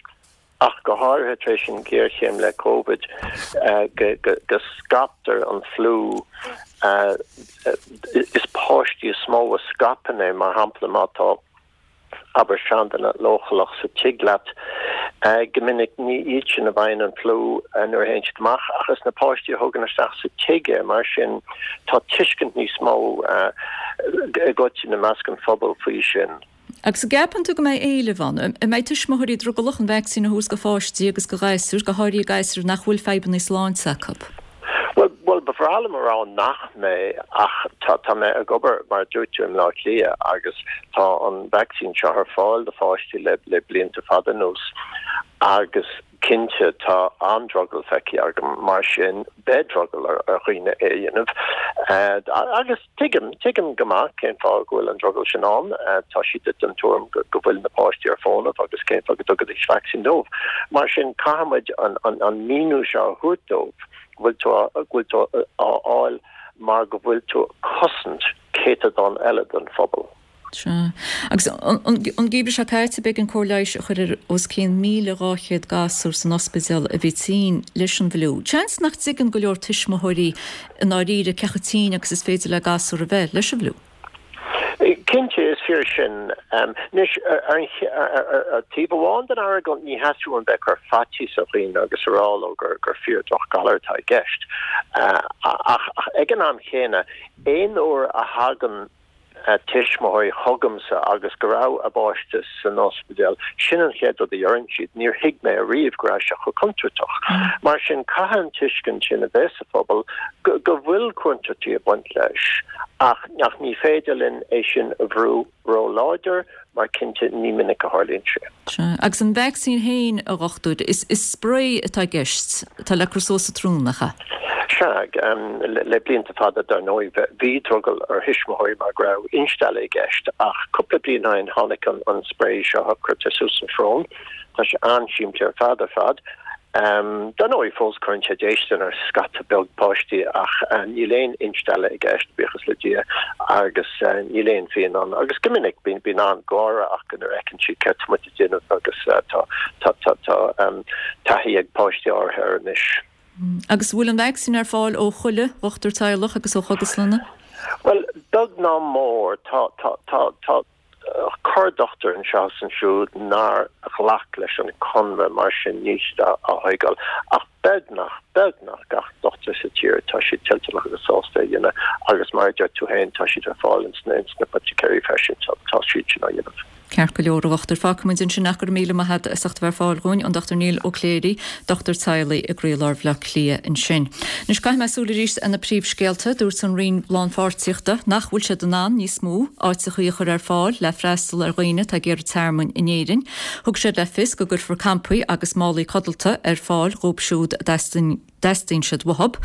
ach go háirithe tar éis an ghéarchéim le COVID uh, go, go, go scaiptear an fliú uh, is páistí is mó a scaipeann é mar shampla má tá abair seanduine leochaileach sa tigh leat uh, go minic ní iad sin a bhfaigheann an fliú uh, nuair a théann siad amach ach is na páistí a thugann isteach sa tigh é mar sin tá tuiscint níos mó uh, i gcoitinne i measc an phobail faoi sin. Agus an gceapann tú go mbeidh éileamh ann, an mbeidh tuismitheoirí drogallach an vacsaín a thabhairt do pháistí agus do ghasúir go háirithe gasúir nach bhfuil fadhbanna sláinte acu. Well well ba bhreá liom a rá nach mbeidh ach tá tá mé ag obair mar dúirt tú i mBaile Átha Cliath agus tá an vacsaín seo ar fáil do pháistí le le blianta fada anuas agus cinnte tá an-drogall feicthe agam mar sin beidh drogall ar ar dhaoine é a dhéanamh uh, agus tuigim tuigim go maith cén fáth go bhfuil an drogall sin ann uh, tá siad den tuairim go, go bhfuil na páistí ar fónamh agus cén fáth go dtugfaidís vacsaín dóibh mar sin caithfimid an an, an míniú seo a thabhairt dóibh bhfuil tú bhfuil tú á fháil mar go bhfuil tú cosaint céatadán eile den phobal. Sea. Agus an geimhreadh seo caite b'éigean cóir leighis a chur ar os cionn míle dhá chéad gasúr san ospidéal a bhí tinn leis an bhfliú. Seans nach dtuigeann go leor tuismitheoirí i ndáiríre cé chomh tinn agus is féidir le gasúr a bheith leis an bhfliú. Cinnte is fíor sin um, anois ar taobh amháin den argóint ní theastaíonn bheith ag cur faitíos ar dhaoine agus a rá leo gur gur fíor drochghalar atá i gceist. Uh, ach, ach ag an am chéanna aon uair a thagann uh, tuismitheoirí chugamsa agus go raibh a bpáiste san ospidéal sin an chéad rud a deireann siad níor thuig mé riamh go raibh sé chomh contúirteach. Mar sin caithfidh an tuiscint sin a bheith sa phobal go, go bhfuil contúirtí ag baint leis ach nach ní féidir linn é sin a bhrú ró-láidir mar cinnte ní minic a tharlaíonn sé. Sea. Agus an vacsaín féin, a dhochtúir, is is spray atá i gceist, atá le cur suas sa tsrón, nach ea? Sea, le blianta fada dar ndóigh bhí drogall ar thuismitheoirí mar go raibh instealladh i gceist ach cúpla bliain ó shin tháinig an spray seo a chuirtear suas sa srón. Tá sé an-simplí ar fad ar fad. Dar ndóigh fós cuireann sé déistin ar scata beag páistí ach níl aon instealladh i gceist, buíochas le Dia, agus níl aon phian ann. Agus go minic bíonn an-gháire acu nuair a fheiceann siad céard tá muid ag déanamh agus tá taithí ag páistí áirithe air anois. Agus bhfuil an vacsaín ar fáil ó chuile dhochtúir teaghlach agus ó chógaslanna? Bhuel, beag ná mór. Tá, tá, tá, tá corr-dhochtúir anseo is ansiúd nár ghlac leis an conradh, mar sin níl siad á thóigeáil. Ach beagnach, beagnach gach dochtúir sa tír, tá siad toilteanach agus sásta é a dhéanamh agus mar a deir tú féin, tá siad ar fáil ins na haiticéirí freisin, tá siad sin á dhéanamh. Ceart go leor, a dhochtúir. Fágfaimid ansin ach go raibh míle maith agat as ucht a bheith ar fáil dhúinn, an Dochtúir Niall Ó Cléirigh, dochtúir teaghlaigh i gcroílár Bhaile Átha Cliath ansin. Anois caithfidh mé súil arís ar na príomhscéalta. Dúirt an Roinn Lánpháirtíochta nach bhfuil siad in ann níos mó áiteachaí a chur ar fáil le freastal ar dhaoine atá ag iarraidh tearmainn in Éirinn. Thug siad le fios go gcuirfear campaí agus málaí codlata ar fáil dhóibh siúd a dteastaíonn siad uathu.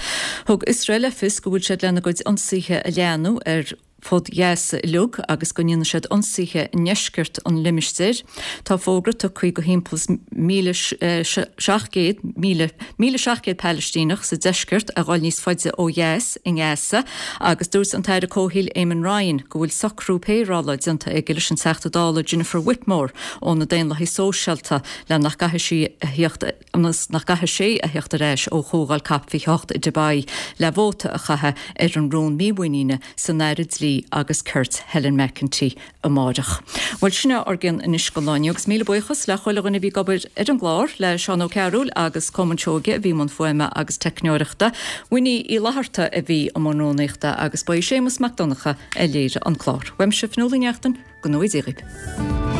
Thug Iosrael le fios go bhfuil siad lena gcuid ionsaithe a leathnú ar fud Ghaza uilig agus go ndéanfaidh siad ionsaithe i ndeisceart an limistéir. Tá fógra tugtha do thimpeall is míle seacht gcéad míle míle seacht gcéad Palaistíneach sa deisceart a dhul níos faide ó dheas i nGaza agus dúirt an tAire Comhshaoil Eamon Ryan go bhfuil socrú péireála déanta aige leis an Teachta Dála Jennifer Whitmore ó na Daonlathaigh Sóisialta le nach gcaithfidh sí a theacht ionas nach gcaithfidh sé a theacht ar ais ó Chomhdháil Cop fiche a hocht i Dubai le vóta a chaitheamh ar an rún mímhuiníne san Aire Dlí agus Cirt Helen McEntee amáireach. Bhuel sin é ár gcionn anois don lá inniu agus míle buíochas le chuile dhuine a bhí ag obair ar an gclár, le Seán Ó Cearúil agus Colmán Seoige a bhí i mbun fuaime agus teicneoireachta, Winnie Uí Fhlatharta a bhí i mbun rúnaíochta agus ba é Séamus Mac Donncha a léirigh an clár. Uaimse Fionnuala Ní Neachtain, go ngnóthaí Dia dhaoibh.